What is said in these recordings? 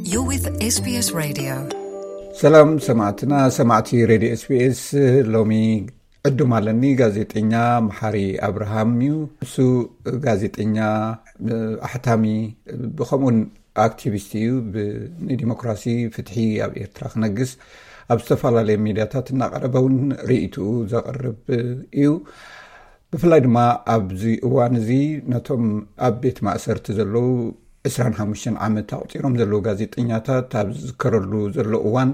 You're with SBS Radio. ሰላም ሰማዕትና፣ ሰማዕቲ ሬድዮ ኤስቢኤስ። ሎሚ ዕዱም ኣለኒ፣ ጋዜጠኛ መሓሪ ኣብርሃም እዩ። እሱ ጋዜጠኛ፣ ኣሕታሚ፣ ብኸምኡን ኣክቲቪስት እዩ። ንዲሞክራሲ፣ ፍትሒ ኣብ ኤርትራ ክነግስ ኣብ ዝተፈላለየ ሚድያታት እናቐረበ እውን ርእይትኡ ዘቕርብ እዩ። ብፍላይ ድማ ኣብዚ እዋን እዚ ነቶም ኣብ ቤት ማእሰርቲ ዘለዉ ዕስራን ሓሙሽተን ዓመት ኣቑጺሮም ዘለዉ ጋዜጠኛታት ኣብ ዝዝከረሉ ዘሎ እዋን፣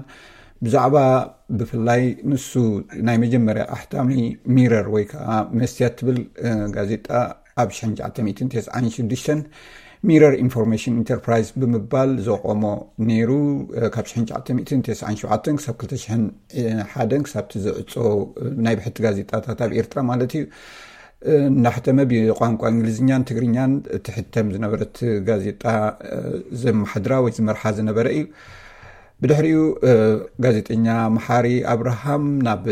ብዛዕባ ብፍላይ ንሱ ናይ መጀመርያ ኣሕታሚ ሚረር ወይ ከዓ መስትያት ትብል ጋዜጣ ኣብ ሽሕን ትሽዓተ ሚእትን ተስዓን ሽዱሽተን ሚረር ኢንፎርሜሽን ኢንተርፕራይዝ ብምባል ዘቆሞ ነይሩ። ካብ ሽሕን ትሽዓተ ሚእትን ተስዓን ሸውዓተን ክሳብ ክልተ ሽሕን ሓደን ክሳብቲ ዝዕጾ ናይ ብሕቲ ጋዜጣታት ኣብ ኤርትራ ማለት እዩ፣ እናሕተመ ብቋንቋ እንግሊዝኛን ትግርኛን ትሕተም ዝነበረት ጋዜጣ ዘመሓድራ ወይ ዝመርሓ ዝነበረ እዩ። ብድሕሪኡ ጋዜጠኛ መሓሪ ኣብርሃም ናብ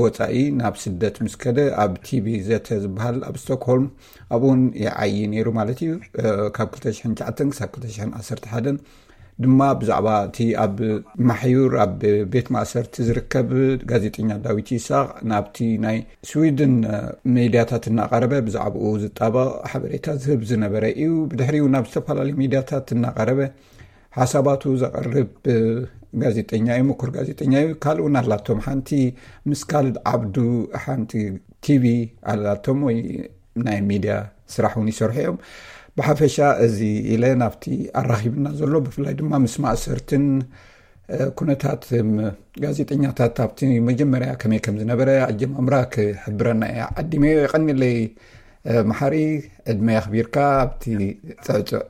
ወፃኢ፣ ናብ ስደት ምስ ከደ፣ ኣብ ቲቪ ዘተ ዝበሃል ኣብ ስቶክሆልም፣ ኣብኡን ይዓዪ ነይሩ ማለት እዩ። ካብ ክልተ ሽሕን ትሽዓተን ክሳብ ክልተ ሽሕን ዓሰርተ ሓደን ድማ ብዛዕባ እቲ ኣብ ማሕዩር ኣብ ቤት ማእሰርቲ ዝርከብ ጋዜጠኛ ዳዊት ይስሐቅ ናብቲ ናይ ስዊድን ሚድያታት እናቐረበ ብዛዕባኡ ዝጣበቕ ሓበሬታ ዝህብ ዝነበረ እዩ። ብድሕሪኡ ናብ ዝተፈላለዩ ሚድያታት እናቐረበ ሓሳባቱ ዘቕርብ ጋዜጠኛ እዩ፣ ምኩር ጋዜጠኛ እዩ። ካልእ እውን ኣላቶም፣ ሓንቲ ምስ ካልድ ዓብዱ ሓንቲ ቲቪ ኣላቶም ወይ ናይ ሚድያ ስራሕ እውን ይሰርሑ እዮም። ብሓፈሻ እዚ ኢለ ናብቲ ኣራኺብና ዘሎ፣ ብፍላይ ድማ ምስ ማእሰርትን ኩነታት ጋዜጠኛታት ኣብቲ መጀመርያ ከመይ ከም ዝነበረ ኣጀማምራ ክሕብረና እየ ዓዲመዮ። የቐንየለይ መሓሪ፣ ዕድመ ኣኽቢርካ ኣብቲ ጽዕጹዕ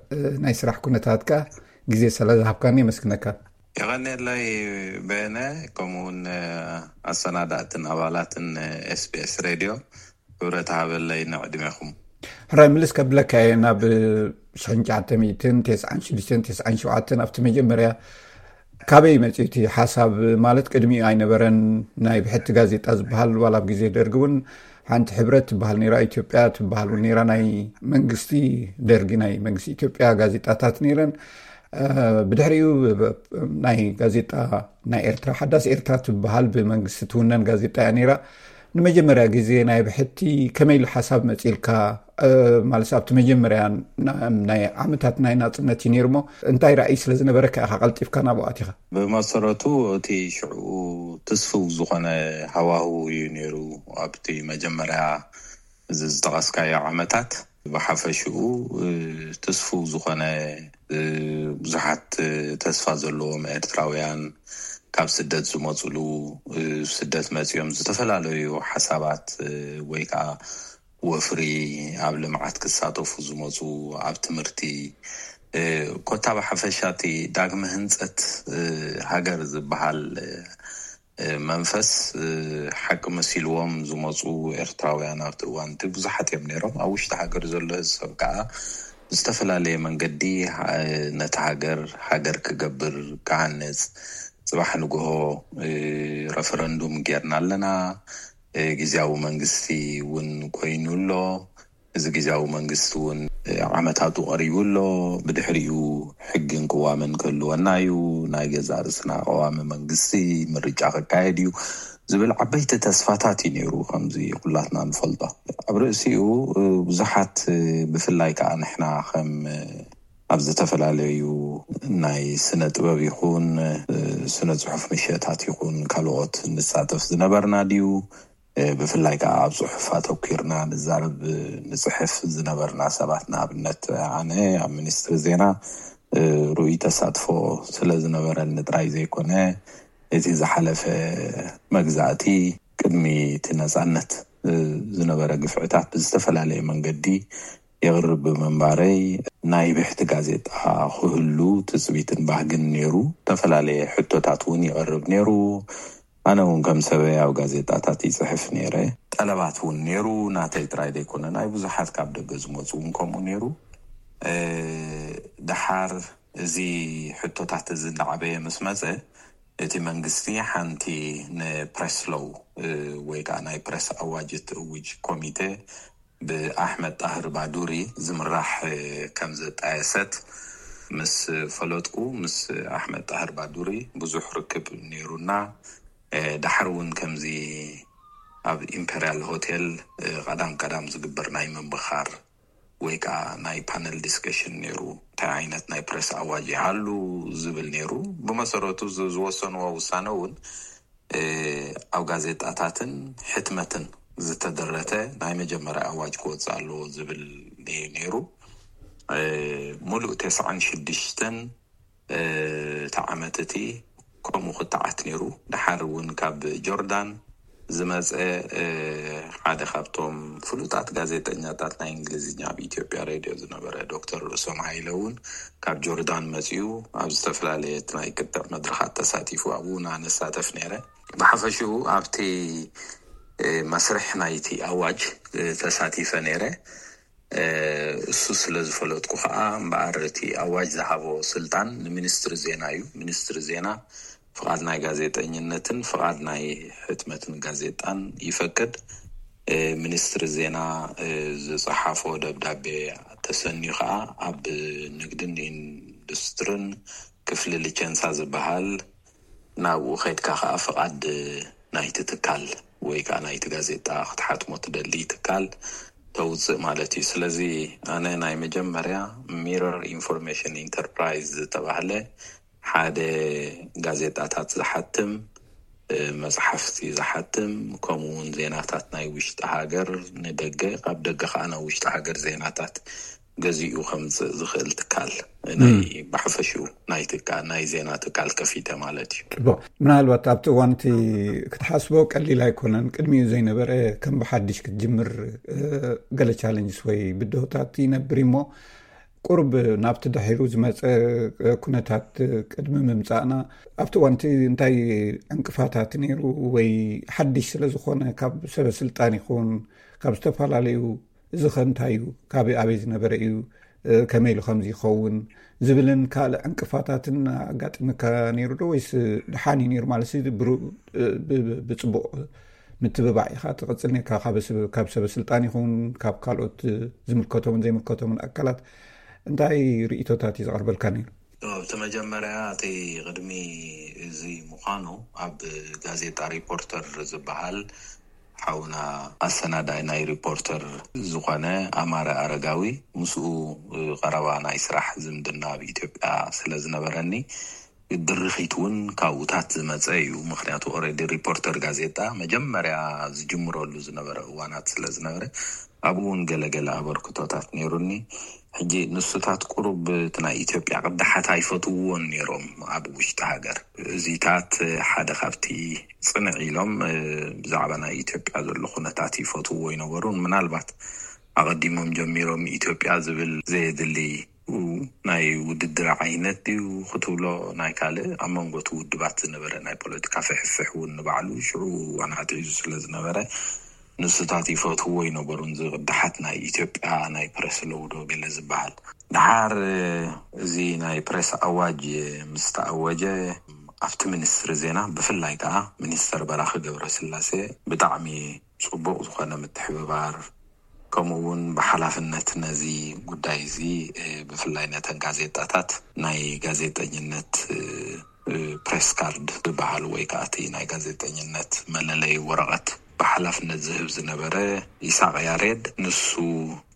ናይ ስራሕ ኩነታትካ ግዜ ስለ ዝሃብካኒ የመስግነካ። የቐንየለይ በየነ፣ ከምኡውን ኣሰናዳእትን ኣባላትን ኤስቢኤስ ሬድዮ። ክብረት ሃበለይ ንዕድሜኹም። ሕራይ ምልስ ከብለካ እየ ናብ ሽሕን ትሽዓተ ሚእትን ተስዓን ሽዱሽተን ተስዓን ሸውዓተን ኣብቲ መጀመርያ ካበይ መፅኡ እቲ ሓሳብ? ማለት ቅድሚኡ ኣይነበረን ናይ ብሕቲ ጋዜጣ ዝበሃል፣ ዋላ ኣብ ግዜ ደርጊ እውን ሓንቲ ሕብረት ትበሃል ነይራ፣ ኢትዮጵያ ትበሃል እውን ነይራ፣ ናይ መንግስቲ ደርጊ ናይ መንግስቲ ኢትዮጵያ ጋዜጣታት ነይረን። ብድሕሪኡ ናይ ጋዜጣ ናይ ኤርትራ ሓዳስ ኤርትራ ትበሃል ብመንግስቲ ትውነን ጋዜጣ እያ ነይራ። ንመጀመርያ ግዜ ናይ ብሕቲ ከመይ ኢሉ ሓሳብ መፂልካ? ማለት ኣብቲ መጀመርያ ናይ ዓመታት ናይ ናፅነት እዩ ነይሩ እሞ እንታይ ራእይ ስለ ዝነበረካ ኢኻ ቀልጢፍካ ናብኡ ኣቲኻ? ብመሰረቱ እቲ ሽዑ ትስፍው ዝኾነ ሃዋህው እዩ ነይሩ ኣብቲ መጀመርያ እዚ ዝጠቐስካዮ ዓመታት። ብሓፈሽኡ ትስፉው ዝኾነ ብዙሓት ተስፋ ዘለዎም ኤርትራውያን ካብ ስደት ዝመፅሉ፣ ስደት መፂኦም ዝተፈላለዩ ሓሳባት ወይ ከዓ ወፍሪ ኣብ ልምዓት ክሳተፉ ዝመፁ፣ ኣብ ትምህርቲ ኮታ ብሓፈሻ እቲ ዳግመ ህንፀት ሃገር ዝበሃል መንፈስ ሓቂ መሲልዎም ዝመፁ ኤርትራውያን ኣብቲ እዋን እቲ ብዙሓት እዮም ነይሮም። ኣብ ውሽጢ ሃገር ዘሎ ህዝብ ከዓ ብዝተፈላለየ መንገዲ ነቲ ሃገር ሃገር ክገብር ክሃንፅ፣ ፅባሕ ንግሆ ረፈረንዱም ጌርና ኣለና፣ ግዝያዊ መንግስቲ እውን ኮይኑ ኣሎ። እዚ ግዝያዊ መንግስቲ እውን ዓመታቱ ቀሪቡ ኣሎ። ብድሕሪኡ ሕግን ቅዋምን ክህልወና እዩ፣ ናይ ገዛእ ርእስና ቀዋሚ መንግስቲ ምርጫ ክካየድ እዩ ዝብል ዓበይቲ ተስፋታት እዩ ነይሩ። ከምዚ ኩላትና ንፈልጦ ኣብ ርእሲኡ ብዙሓት ብፍላይ ከዓ ንሕና ከም ኣብ ዝተፈላለዩ ናይ ስነ ጥበብ ይኹን ስነ ፅሑፍ ምሸታት ይኹን ካልኦት ንሳተፍ ዝነበርና ድዩ ብፍላይ ከዓ ኣብ ፅሑፍ ኣተኪርና ንዛረብ ንፅሕፍ ዝነበርና ሰባት ንኣብነት ኣነ ኣብ ሚኒስትሪ ዜና ርኡይ ተሳትፎ ስለ ዝነበረኒ ጥራይ ዘይኮነ እቲ ዝሓለፈ መግዛእቲ ቅድሚ እቲ ነፃነት ዝነበረ ግፍዕታት ብዝተፈላለየ መንገዲ የቕርብ ብምንባረይ ናይ ብሕቲ ጋዜጣ ክህሉ ትፅቢትን ባህግን ነይሩ። ዝተፈላለየ ሕቶታት እውን ይቐርብ ነይሩ። ኣነ እውን ከም ሰበይ ኣብ ጋዜጣታት ይፅሕፍ ነይረ። ጠለባት እውን ነይሩ። ናተይ ጥራይ ዘይኮነ ናይ ብዙሓት ካብ ደገ ዝመፁ እውን ከምኡ ነይሩ። ድሓር እዚ ሕቶታት እዚ እንዳዓበየ ምስ መፀ እቲ መንግስቲ ሓንቲ ንፕረስ ሎው ወይ ከዓ ናይ ፕረስ ኣዋጅ እትእውጅ ኮሚቴ ብኣሕመድ ጣህር ባዱሪ ዝምራሕ ከም ዘጣየሰት ምስ ፈለጥኩ ምስ ኣሕመድ ጣህር ባዱሪ ብዙሕ ርክብ ነይሩና። ዳሕር እውን ከምዚ ኣብ ኢምፔርያል ሆቴል ቀዳም ቀዳም ዝግበር ናይ ምምብኻር ወይ ከዓ ናይ ፓነል ዲስከሽን ነይሩ። እንታይ ዓይነት ናይ ፕሬስ ኣዋጅ ይሃሉ ዝብል ነይሩ። ብመሰረቱ ዝወሰንዎ ውሳነ እውን ኣብ ጋዜጣታትን ሕትመትን ዝተደረተ ናይ መጀመርያ ኣዋጅ ክወፅእ ኣለዎ ዝብል እዩ ነይሩ። ሙሉእ ተስዓን ሽዱሽተን እቲ ዓመት እቲ ከምኡ ክተዓት ነይሩ። ድሓር እውን ካብ ጆርዳን ዝመፀ ሓደ ካብቶም ፍሉጣት ጋዜጠኛታት ናይ እንግሊዝኛ ኣብ ኢትዮጵያ ሬድዮ ዝነበረ ዶክተር ርእሶም ሃይለ እውን ካብ ጆርዳን መፂኡ ኣብ ዝተፈላለየት ናይ ቅጥዕ መድረኻት ተሳቲፉ ኣብኡ ንሳተፍ ነይረ። ብሓፈሽኡ ኣብቲ መስርሕ ናይቲ ኣዋጅ ተሳቲፈ ነይረ። እሱ ስለ ዝፈለጥኩ ከዓ እምበኣር እቲ ኣዋጅ ዝሃቦ ስልጣን ንሚኒስትሪ ዜና እዩ። ሚኒስትሪ ዜና ፍቓድ ናይ ጋዜጠኝነትን ፍቓድ ናይ ሕትመትን ጋዜጣን ይፈቅድ። ሚኒስትሪ ዜና ዝፀሓፎ ደብዳቤ ተሰንዩ ከዓ ኣብ ንግድን ኢንዱስትርን ክፍሊ ሊቸንሳ ዝበሃል ናብኡ ከድካ ከዓ ፍቓድ ናይቲ ትካል ወይ ከዓ ናይቲ ጋዜጣ ክትሓትሞ ትደሊ ትካል ተውፅእ ማለት እዩ። ስለዚ ኣነ ናይ መጀመርያ ሚረር ኢንፎርሜሽን ኢንተርፕራይዝ ዝተባህለ ሓደ ጋዜጣታት ዝሓትም፣ መፅሓፍቲ ዝሓትም፣ ከምኡ እውን ዜናታት ናይ ውሽጢ ሃገር ንደገ፣ ካብ ደገ ከዓ ናብ ውሽጢ ሃገር ዜናታት ገዚኡ ከምፅእ ዝኽእል ትካል ናይ ብሓፈሽኡ ናይ ትካ ናይ ዜና ትካል ከፊተ ማለት እዩ። ጽቡቕ። ምናልባት ኣብቲ እዋንቲ ክትሓስቦ ቀሊል ኣይኮነን። ቅድሚኡ ዘይነበረ ከም ብሓድሽ ክትጅምር ገለ ቻለንጅስ ወይ ብድሆታት ይነብር እሞ ቁርብ ናብቲ ድሒሩ ዝመፀ ኩነታት ቅድሚ ምምፃእና ኣብቲ እዋንቲ እንታይ ዕንቅፋታት ነይሩ ወይ ሓድሽ ስለ ዝኾነ ካብ ሰበ ስልጣን ይኹን ካብ ዝተፈላለዩ እዚ ከ እንታይ እዩ? ካበይ ኣበይ ዝነበረ እዩ? ከመይ ኢሉ ከምዚ ይኸውን? ዝብልን ካልእ ዕንቅፋታትን ኣጋጢምካ ነይሩ ዶ ወይስ ደሓን እዩ ነይሩ? ማለት ብፅቡቕ ምትብባዕ ኢኻ ትቕፅል ነርካ። ካብ ሰበ ስልጣን ይኹን ካብ ካልኦት ዝምልከቶምን ዘይምልከቶምን ኣካላት እንታይ ርእቶታት እዩ ዝቐርበልካ ነይሩ? ኣብቲ መጀመርያ እቲ ቅድሚ እዚ ምዃኑ ኣብ ጋዜጣ ሪፖርተር ዝበሃል ሓውና ኣሰናዳይ ናይ ሪፖርተር ዝኾነ ኣማረ ኣረጋዊ ምስኡ ቀረባ ናይ ስራሕ ዝምድና ኣብ ኢትዮጵያ ስለ ዝነበረኒ ድርኺት እውን ካብኡታት ዝመፀ እዩ። ምክንያቱ ኦረዲ ሪፖርተር ጋዜጣ መጀመርያ ዝጅምረሉ ዝነበረ እዋናት ስለ ዝነበረ ኣብኡ እውን ገለገለ ኣበርክቶታት ነይሩኒ። ሕጂ ንሱታት ቁሩብ እቲ ናይ ኢትዮጵያ ቅዳሓት ኣይፈትውዎን ነይሮም ኣብ ውሽጢ ሃገር። እዚታት ሓደ ካብቲ ፅንዕ ኢሎም ብዛዕባ ናይ ኢትዮጵያ ዘሎ ኩነታት ይፈትውዎ ይነበሩን ምናልባት ኣቐዲሞም ጀሚሮም ኢትዮጵያ ዝብል ዘየድሊ ናይ ውድድር ዓይነት ድዩ ክትብሎ ናይ ካልእ ኣብ መንጎ እቲ ውድባት ዝነበረ ናይ ፖለቲካ ፍሕፍሕ እውን ንባዕሉ ሽዑ እዋን ኣትሒዙ ስለ ዝነበረ ንሱታት ይፈትውዎ ይነበሩን ዝቕዳሓት ናይ ኢትዮጵያ ናይ ፕረስ ለውዶ ገለ ዝበሃል። ድሓር እዚ ናይ ፕረስ ኣዋጅ ምስ ተኣወጀ ኣብቲ ሚኒስትሪ ዜና ብፍላይ ከዓ ሚኒስተር በራኺ ገብረስላሴ ብጣዕሚ ፅቡቕ ዝኾነ ምትሕብባር ከምኡ እውን ብሓላፍነት ነዚ ጉዳይ እዚ ብፍላይ ነተን ጋዜጣታት ናይ ጋዜጠኝነት ፕሬስ ካርድ ዝበሃል ወይ ከዓ እቲ ናይ ጋዜጠኝነት መለለይ ወረቐት ብሓላፍነት ዝህብ ዝነበረ ይስሐቅ ያሬድ፣ ንሱ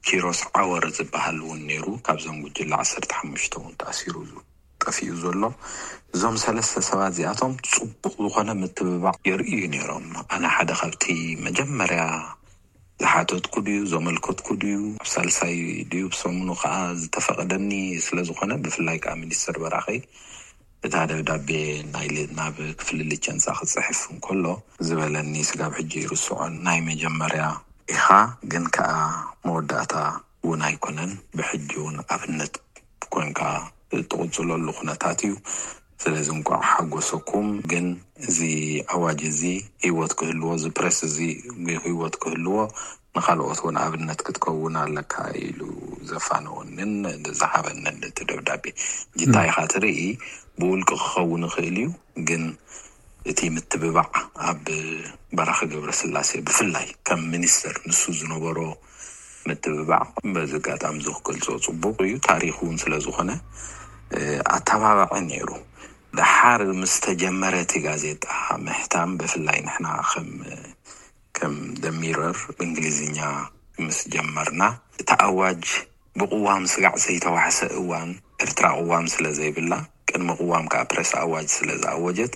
ኪሮስ ዓወር ዝበሃል እውን ነይሩ። ካብዞም ጉጅለ ዓሰርተ ሓሙሽተ እውን ተኣሲሩ ጠፊኡ ዘሎ። እዞም ሰለስተ ሰባት እዚኣቶም ፅቡቕ ዝኾነ ምትብባዕ የርእዩ ነይሮም። ኣነ ሓደ ካብቲ መጀመርያ ዝሓተትኩ ድዩ ዘመልከትኩ ድዩ ኣብ ሳልሳይ ድዩ ብሰሙኑ ከዓ ዝተፈቐደኒ ስለ ዝኾነ ብፍላይ ከዓ ሚኒስትር በራኸይ እታ ደብዳቤ ናይ ናብ ክፍሊ ሊቸንሳ ክፅሕፍ እንከሎ ዝበለኒ ስጋብ ሕጂ ይርስዖን። ናይ መጀመርያ ኢኻ ግን ከዓ መወዳእታ እውን ኣይኮነን። ብሕጂ እውን ኣብነት ኮንካ እትቕፅለሉ ኩነታት እዩ። ስለዚ እንቋዕ ሓጎሰኩም። ግን እዚ ኣዋጅ እዚ ህይወት ክህልዎ፣ እዚ ፕሬስ እዚ ህይወት ክህልዎ ንኻልኦት እውን ኣብነት ክትከውን ኣለካ ኢሉ ዘፋነወንን ዝሃበንን እቲ ደብዳቤ። እንታይ ኢኻ ትርኢ? ብውልቂ ክኸውን ይኽእል እዩ፣ ግን እቲ ምትብባዕ ኣብ በራኺ ገብረስላሴ ብፍላይ ከም ሚኒስትር ንሱ ዝነበሮ ምትብባዕ በዚ ኣጋጣሚ እዚ ክገልጾ ጽቡቕ እዩ። ታሪኽ እውን ስለ ዝኾነ ኣተባባዒ ነይሩ። ደሓር ምስ ተጀመረ እቲ ጋዜጣ ምሕታም፣ ብፍላይ ንሕና ከም ከም ደሚረር ብእንግሊዝኛ ምስ ጀመርና፣ እቲ ኣዋጅ ብቅዋም ስጋዕ ዘይተዋሕሰ እዋን፣ ኤርትራ ቅዋም ስለ ዘይብላ፣ ቅድሚ ቅዋም ከዓ ፕረስ ኣዋጅ ስለ ዝኣወጀት፣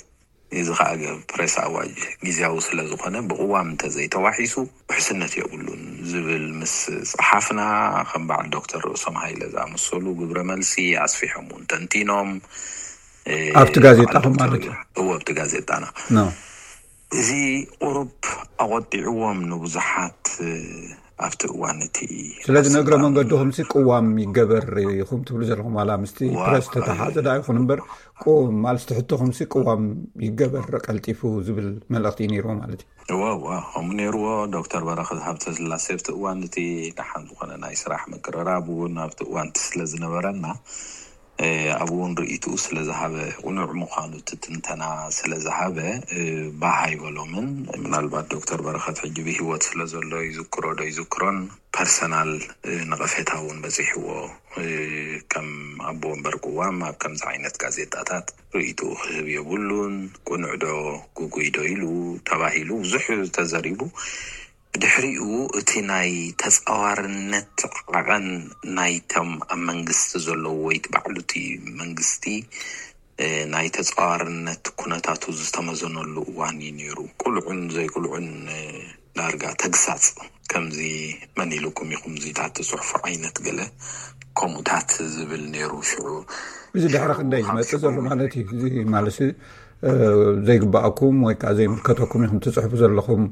እዚ ከዓ ፕረስ ኣዋጅ ግዜያዊ ስለ ዝኾነ፣ ብቅዋም እንተዘይተዋሒሱ ውሕስነት የብሉን ዝብል ምስ ጸሓፍና፣ ከም በዓል ዶክተር ርእሶም ሃይለ ዝኣመሰሉ ግብረ መልሲ ኣስፊሖም እውን ተንቲኖም። ኣብቲ ጋዜጣኹም ማለት እዩ? እዎ፣ ኣብቲ ጋዜጣና። እዚ ቁሩብ ኣቆጢዕዎም ንብዙሓት ኣብቲ እዋን እቲ ስለዚ ንእግረ መንገድኹም ሲ ቅዋም ይገበር ኢኹም ትብሉ ዘለኹም፣ ዋላ ምስቲ ፕረስ ተተሓዘ ዳ ይኹን እምበር፣ ማለት እቲ ሕቶኹም ሲ ቅዋም ይገበር ቀልጢፉ ዝብል መልእኽቲ እዩ ነይርዎ ማለት እዩ። እወ እወ፣ ከምኡ ነይርዎ። ዶክተር በረኸት ሃብተስላሴ ኣብቲ እዋን እቲ ደሓን ዝኾነ ናይ ስራሕ ምቅርራብ እውን ኣብቲ እዋን እቲ ስለ ዝነበረና፣ ኣብኡ እውን ርእይትኡ ስለ ዝሃበ፣ ቅኑዕ ምዃኑ እቲ ትንተና ስለ ዝሃበ፣ ባህ ኣይበሎምን። ምናልባት ዶክተር በረኸት ሕጂ ብህይወት ስለ ዘሎ ይዝክሮ ዶ ይዝክሮን፣ ፐርሰናል ነቐፌታ እውን በፂሕዎ። ከም ኣቦ ወንበር ቅዋም ኣብ ከምዚ ዓይነት ጋዜጣታት ርእይትኡ ክህብ የብሉን፣ ቅኑዕ ዶ ግጉይ ዶ ኢሉ ተባሂሉ ብዙሕ ተዘሪቡ። ብድሕሪኡ እቲ ናይ ተጻዋርነት ዓቐን ናይቶም ኣብ መንግስቲ ዘለዉ ወይ እቲ ባዕሉ እቲ መንግስቲ ናይ ተጻዋርነት ኩነታቱ ዝተመዘነሉ እዋን እዩ ነይሩ። ቁልዑን ዘይቁልዑን ዳርጋ ተግሳጽ ከምዚ መን ኢሉኩም ኢኹም እዚታት ትጽሕፉ ዓይነት ገለ ከምኡታት ዝብል ነይሩ። ሽዑ እዚ ድሕሪ ክንደይ ዝመጽእ ዘሎ ማለት እዩ። እዚ ማለት ዘይግባኣኩም ወይ ከዓ ዘይምልከተኩም ኢኹም ትፅሕፉ ዘለኹም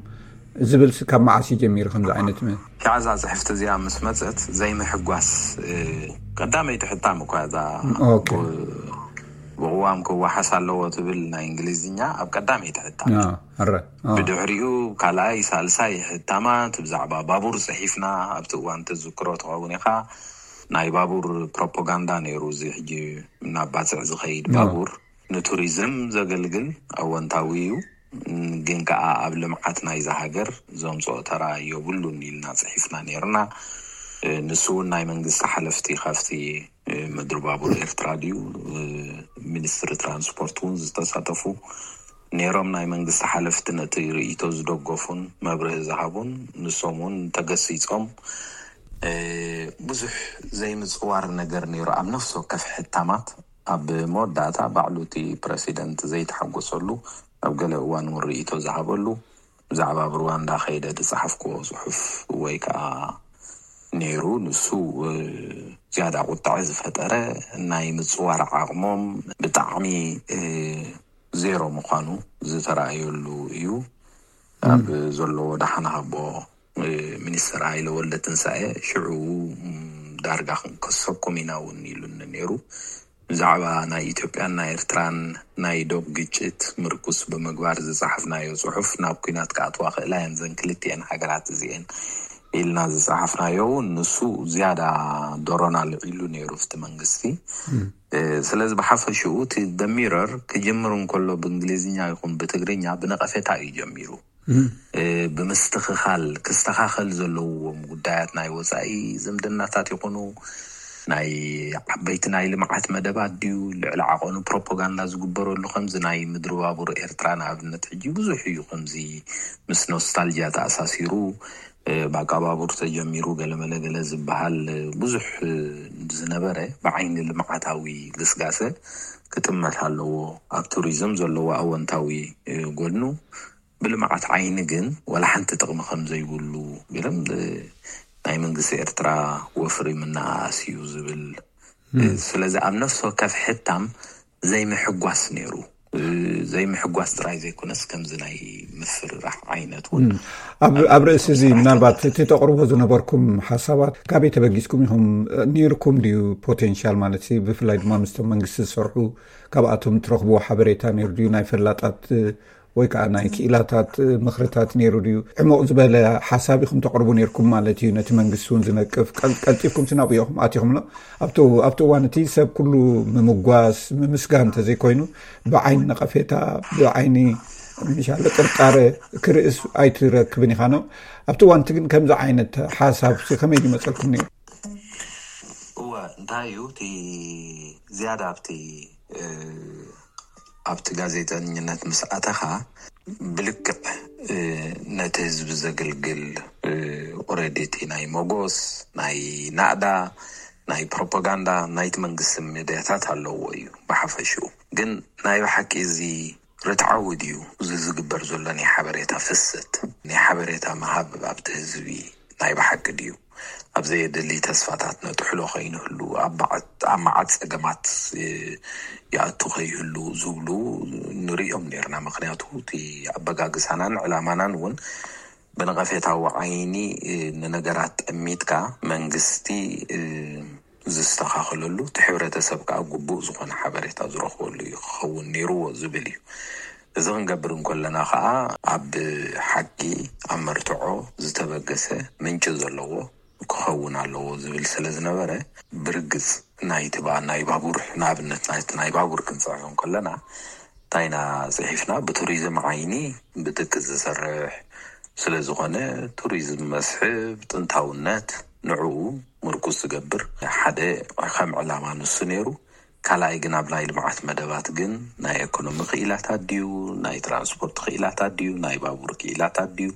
ዝብል ካብ መዓስ እዩ ጀሚሩ ከምዚ ዓይነት? እዛ ፅሕፍቲ እዚኣ ምስ መፀት ዘይምሕጓስ ቀዳመይቲ ሕታም እኳ እዛ ብቅዋም ክወሓስ ኣለዎ ትብል ናይ እንግሊዝኛ ኣብ ቀዳመይቲ ሕታም። ብድሕሪኡ ካልኣይ ሳልሳይ ሕታማት ብዛዕባ ባቡር ፅሒፍና። ኣብቲ እዋን ትዝክሮ ትኸውን ኢኻ፣ ናይ ባቡር ፕሮፓጋንዳ ነይሩ። እዚ ሕጂ እናባፅዕ ዝኸይድ ባቡር ንቱሪዝም ዘገልግል ኣወንታዊ እዩ፣ ግን ከዓ ኣብ ልምዓት ናይዛ ሃገር ዘምፅኦ ተራ የብሉን ኢልና ፅሒፍና ነይርና። ንሱ እውን ናይ መንግስቲ ሓለፍቲ ካብቲ ምድሪ ባቡር ኤርትራ ድዩ ሚኒስትሪ ትራንስፖርት እውን ዝተሳተፉ ነይሮም። ናይ መንግስቲ ሓለፍቲ ነቲ ርእይቶ ዝደገፉን መብርሂ ዝሃቡን ንሶም እውን ተገሲጾም። ብዙሕ ዘይምፅዋር ነገር ነይሩ ኣብ ነፍሲ ወከፍ ሕታማት። ኣብ መወዳእታ ባዕሉ እቲ ፕረሲደንት ዘይተሓጎሰሉ ኣብ ገለ እዋን እውን ርእይቶ ዝሃበሉ ብዛዕባ ኣብ ሩዋንዳ ከይደ ዝፀሓፍክዎ ፅሑፍ ወይ ከዓ ነይሩ። ንሱ ዝያዳ ቁጣዐ ዝፈጠረ ናይ ምፅዋር ዓቕሞም ብጣዕሚ ዜሮ ምዃኑ ዝተረኣየሉ እዩ። ኣብ ዘለዎ ደሓን ሃቦ ሚኒስትር ሃይለ ወልደትንሳኤ ሽዑ ዳርጋ ክንከሰኩም ኢና እውን ኢሉኒ ነይሩ። ብዛዕባ ናይ ኢትዮጵያን ናይ ኤርትራን ናይ ዶብ ግጭት ምርኩስ ብምግባር ዝፀሓፍናዮ ፅሑፍ ናብ ኲናት ክኣትዋ ክእላ እየን ዘን ክልቲኤን ሃገራት እዚኤን ኢልና ዝፀሓፍናዮ እውን ንሱ ዝያዳ ዶሮና ልዒሉ ነይሩ ኣብቲ መንግስቲ። ስለዚ ብሓፈሽኡ እቲ ደሚረር ክጅምር እንከሎ ብእንግሊዝኛ ይኹን ብትግርኛ ብነቐፌታ እዩ ጀሚሩ። ብምስትኽኻል ክስተኻኸል ዘለዎም ጉዳያት ናይ ወፃኢ ዝምድናታት ይኹኑ ናይ ዓበይቲ ናይ ልምዓት መደባት ድዩ ልዕሊ ዓቐኑ ፕሮፓጋንዳ ዝግበረሉ ከምዚ ናይ ምድሪ ባቡር ኤርትራ ንኣብነት ሕጂ ብዙሕ እዩ ከምዚ ምስ ኖስታልጂያ ተኣሳሲሩ ባቃ ባቡር ተጀሚሩ ገለመለ ገለ ዝበሃል ብዙሕ ዝነበረ ብዓይኒ ልምዓታዊ ግስጋሰ ክጥመት ኣለዎ። ኣብ ቱሪዝም ዘለዎ ኣወንታዊ ጎድኑ ብልምዓት ዓይኒ ግን ዋላ ሓንቲ ጥቕሚ ከም ዘይብሉ ገለም ናይ መንግስቲ ኤርትራ ወፍሪ ምናኣስ እዩ ዝብል። ስለዚ ኣብ ነፍሲ ወከፍ ሕታም ዘይምሕጓስ ነይሩ። ዘይምሕጓስ ጥራይ ዘይኮነስ ከምዚ ናይ ምፍርራሕ ዓይነት እውን ኣብ ርእሲ እዚ ምናልባት እቲ ተቕርቦ ዝነበርኩም ሓሳባት ካበይ ተበጊስኩም ኢኹም? ነይርኩም ድዩ ፖቴንሻል ማለት ብፍላይ ድማ ምስቶም መንግስቲ ዝሰርሑ ካብኣቶም ትረኽብዎ ሓበሬታ ነይሩ ድዩ? ናይ ፈላጣት ወይ ከዓ ናይ ክኢላታት ምኽርታት ነይሩ ድዩ? ዕሙቕ ዝበለ ሓሳብ ኢኹም ተቕርቡ ነይርኩም ማለት እዩ ነቲ መንግስቲ እውን ዝነቅፍ። ቀልጢፍኩም ናብኡ ኢኹም ኣቲኹምሎ። ኣብቲ እዋን እቲ ሰብ ኩሉ ምምጓስ ምምስጋን እንተዘይኮይኑ ብዓይኒ ነቐፌታ ብዓይኒ ምሻለ ጥርጣረ ክርእስ ኣይትረክብን ኢኻ ነው። ኣብቲ እዋን እቲ ግን ከምዚ ዓይነት ሓሳብ ከመይ ይመፀልኩም ነይሩ? እወ እንታይ እዩ እቲ ዝያዳ ኣብቲ ኣብቲ ጋዜጠኝነት ምስ ኣተኻ ብልክዕ ነቲ ህዝቢ ዘገልግል ኦረዲ እቲ ናይ መጎስ ናይ ናእዳ ናይ ፕሮፓጋንዳ ናይቲ መንግስቲ ሚድያታት ኣለዎ እዩ። ብሓፈሽኡ ግን ናይ ብሓቂ እዚ ርትዓዊ ድዩ እዚ ዝግበር ዘሎ ናይ ሓበሬታ ፍሰት ናይ ሓበሬታ ምሃብ ኣብቲ ህዝቢ ናይ ብሓቂ ድዩ ኣብ ዘየድሊ ተስፋታት ነጥሕሎ ከይንህሉ ኣብ መዓት ጸገማት ይኣቱ ከይህሉ ዝብሉ ንርእዮም ነርና። ምክንያቱ እቲ ኣበጋግሳናን ዕላማናን እውን ብነቐፌታዊ ዓይኒ ንነገራት ጠሚትካ መንግስቲ ዝስተኻኸለሉ እቲ ሕብረተሰብ ከዓ ግቡእ ዝኾነ ሓበሬታ ዝረኽበሉ እዩ ክኸውን ነይርዎ ዝብል እዩ። እዚ ክንገብር እንከለና ከዓ ኣብ ሓቂ ኣብ መርትዖ ዝተበገሰ ምንጪ ዘለዎ ክኸውን ኣለዎ ዝብል ስለ ዝነበረ ብርግፅ ናይቲ ናይ ባቡር ንኣብነት ናይቲ ናይ ባቡር ክንፅሕፍ እንከለና እንታይ ኢና ፅሒፍና? ብቱሪዝም ዓይኒ ብትክ ዝሰርሕ ስለ ዝኾነ ቱሪዝም መስሕብ ጥንታውነት ንዕኡ ምርኩስ ዝገብር ሓደ ከም ዕላማ ንሱ ነይሩ። ካልኣይ ግን ኣብ ናይ ልምዓት መደባት ግን ናይ ኤኮኖሚ ክኢላታት ድዩ ናይ ትራንስፖርት ክኢላታት ድዩ ናይ ባቡር ክኢላታት ድዩ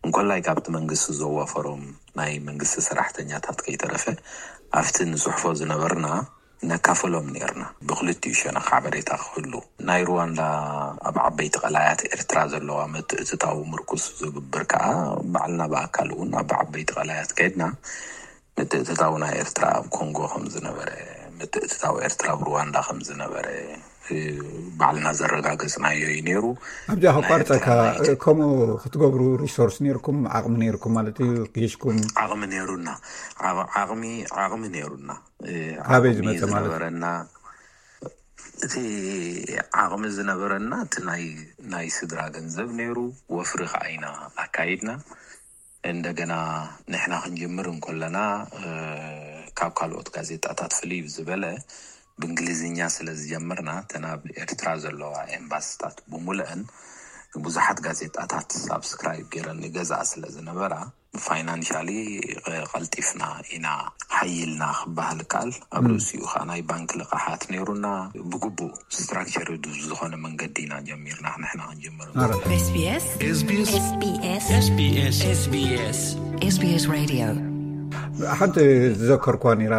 እንኮላይ ካብቲ መንግስቲ ዘዋፈሮም ናይ መንግስቲ ሰራሕተኛታት ከይተረፈ ኣብቲ ንፅሕፎ ዝነበርና ነካፈሎም ነርና። ብክልቲኡ ሸነኽ ሓበሬታ ክህሉ ናይ ሩዋንዳ ኣብ ዓበይቲ ቀላያት ኤርትራ ዘለዋ ምትእትታው ምርኩስ ዝግብር ከዓ ባዕልና ብኣካል እውን ኣብ ዓበይቲ ቀላያት ከይድና ምትእትታው ናይ ኤርትራ ኣብ ኮንጎ ከም ዝነበረ ምትእትታው ኤርትራ ኣብ ሩዋንዳ ከም ዝነበረ ባዕልና ዘረጋገጽናዮ እዩ ነይሩ። ኣብዚኣ ከቋርፀካ፣ ከምኡ ክትገብሩ ሪሶርስ ነርኩም፣ ዓቕሚ ነርኩም ማለት እዩ፣ ጊሽኩም? ዓቕሚ ነሩና። ዓቕሚ ዓቕሚ ነሩና። ካበይ ዝመፀ ማለት? ዝነበረና እቲ ዓቕሚ ዝነበረና እቲ ናይ ስድራ ገንዘብ ነይሩ። ወፍሪ ከዓ ኢና ኣካይድና። እንደገና ንሕና ክንጅምር እንኮለና ካብ ካልኦት ጋዜጣታት ፍልይ ዝበለ ብእንግሊዝኛ ስለ ዝጀመርና እተን ኣብ ኤርትራ ዘለዋ ኤምባስታት ብሙሉአን ብዙሓት ጋዜጣታት ሳብስክራይብ ገይረን ይገዝኣ ስለ ዝነበራ ፋይናንሻሊ ቀልጢፍና ኢና ሓይልና ክበሃል ካል ኣብ ርእሲኡ ከዓ ናይ ባንክ ልቃሓት ነይሩና። ብግቡእ ስትራክቸር ዝኾነ መንገዲ ኢና ጀሚርና ንሕና ክንጀምር። SBS Radio። ሓንቲ ዝዘከርኳ ነይራ፣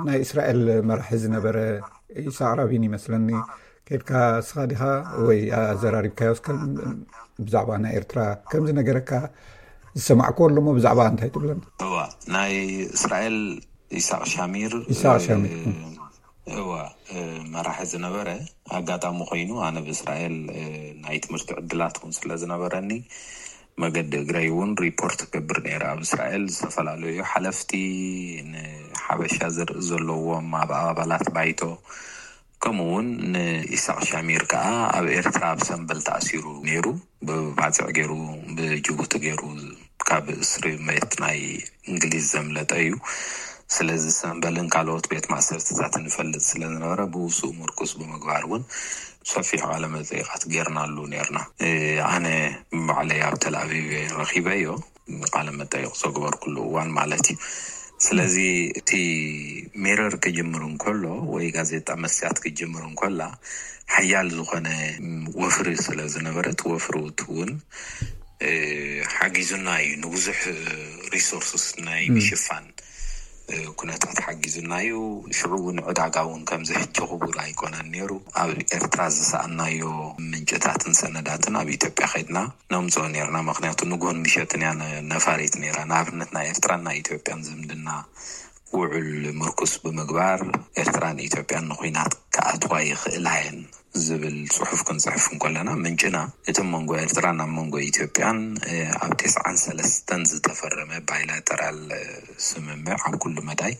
ናይ እስራኤል መራሒ ዝነበረ ኢሳቅ ራቢን ይመስለኒ። ከድካ ስኻ ዲኻ ወይ ኣዘራሪብካዮ እስከ ብዛዕባ ናይ ኤርትራ ከምዚ ነገረካ ዝሰማዕኩ ኣለሞ ብዛዕባ እንታይ ትብለን? እዋ ናይ እስራኤል ኢሳቅ ሻሚር ኢሳቅ ሻሚር እዋ መራሒ ዝነበረ ኣጋጣሚ ኮይኑ ኣነ ብእስራኤል ናይ ትምህርቲ ዕድላት እውን ስለ ዝነበረኒ መገዲ እግረይ እውን ሪፖርት ክገብር ነይረ ኣብ እስራኤል ዝተፈላለዩ ሓለፍቲ ንሓበሻ ዝርኢ ዘለዎም ኣብ ኣባላት ባይቶ ከምኡ እውን ንኢሳቅ ሻሚር ከዓ ኣብ ኤርትራ ኣብ ሰንበል ተኣሲሩ ነይሩ። ብባፅዕ ገይሩ ብጅቡቲ ገይሩ ካብ እስሪ መት ናይ እንግሊዝ ዘምለጠ እዩ። ስለዚ ሰንበልን ካልኦት ቤት ማእሰርትታትን ይፈልጥ ስለዝነበረ ብውስኡ ምርኩስ ብምግባር እውን ሰፊሕ ቃለ መጠይቃት ገይርናሉ ነርና። ኣነ ባዕለይ ኣብ ተልኣቪቭ ረኪበዮ ቃለ መጠይቅ ዘግበርኩሉ እዋን ማለት እዩ። ስለዚ እቲ ሜረር ክጅምር እንከሎ ወይ ጋዜጣ መስያት ክጅምር እንከላ ሓያል ዝኾነ ወፍሪ ስለ ዝነበረት ወፍሪ እውን ሓጊዙና እዩ ንብዙሕ ሪሶርስስ ናይ ምሽፋን ኩነታት ሓጊዙና እዩ። ሽዑ እውን ዕዳጋ እውን ከምዚ ሕጂ ክቡር ኣይኮነን ነይሩ። ኣብ ኤርትራ ዝሰኣናዮ ምንጭታትን ሰነዳትን ኣብ ኢትዮጵያ ከድና ነምፅኦ ነርና። ምክንያቱ ንግሆን ምሸትን እያ ነፋሪት ነይራ። ንኣብነት ናይ ኤርትራን ናይ ኢትዮጵያን ዝምድና ውዑል ምርኩስ ብምግባር ኤርትራን ኢትዮጵያን ንኩናት ክኣትዋ ይኽእላ እየን ዝብል ፅሑፍ ክንፅሕፍ እንከለና ምንጭና እቲ መንጎ ኤርትራን ኣብ መንጎ ኢትዮጵያን ኣብ ተስዓን ሰለስተን ዝተፈረመ ባይላተራል ስምምዕ ኣብ ኩሉ መዳይ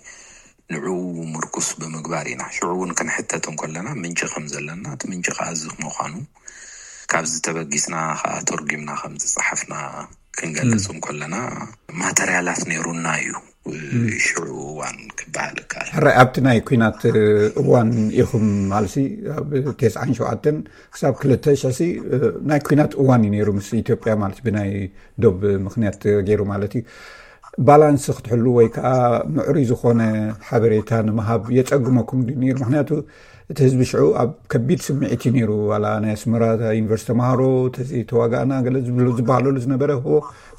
ንዕኡ ምርኩስ ብምግባር ኢና። ሽዑ እውን ክንሕተት እንከለና ምንጪ ከም ዘለና እቲ ምንጪ ከዓ እዚ ምዃኑ ካብዚ ተበጊስና ከዓ ተርጒምና ከም ዝፀሓፍና ክንገልፅ እንከለና ማተርያላት ነይሩና እዩ። ሽዑ እዋን ክበሃል ይከኣል። ሕራይ ኣብቲ ናይ ኩናት እዋን ኢኹም ማለሲ ኣብ ተስዓን ሸውዓተን ክሳብ ክልተ ሽሕሲ ናይ ኩናት እዋን እዩ ነይሩ ምስ ኢትዮጵያ ማለት ብናይ ዶብ ምክንያት ገይሩ ማለት እዩ። ባላንስ ክትሕሉ ወይ ከዓ ምዕሩይ ዝኾነ ሓበሬታ ንምሃብ የጸግመኩም ድዩ ነይሩ? ምክንያቱ እቲ ህዝቢ ሽዑ ኣብ ከቢድ ስምዒት እዩ ነይሩ። ዋላ ናይ ኣስመራ ዩኒቨርሲቲ ተምሃሮ ተዋጋእና ገለ ዝበሃለሉ ዝነበረ፣ ሆ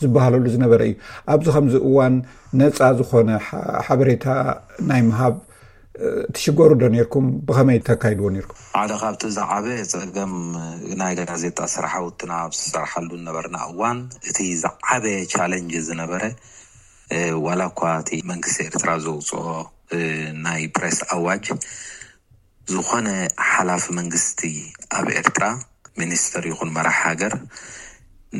ዝበሃለሉ ዝነበረ እዩ። ኣብዚ ከምዚ እዋን ነፃ ዝኾነ ሓበሬታ ናይ ምሃብ ትሽገሩ ዶ ነርኩም? ብኸመይ ተካይድዎ ነርኩም? ሓደ ካብቲ ዝዓበየ ፀገም ናይ ጋዜጣ ስራሕ ውትና ኣብ ዝሰርሓሉ ነበርና እዋን፣ እቲ ዝዓበየ ቻለንጅ ዝነበረ፣ ዋላ እኳ እቲ መንግስቲ ኤርትራ ዘውፅኦ ናይ ፕሬስ ኣዋጅ፣ ዝኾነ ሓላፊ መንግስቲ ኣብ ኤርትራ፣ ሚኒስተር ይኹን መራሕ ሃገር፣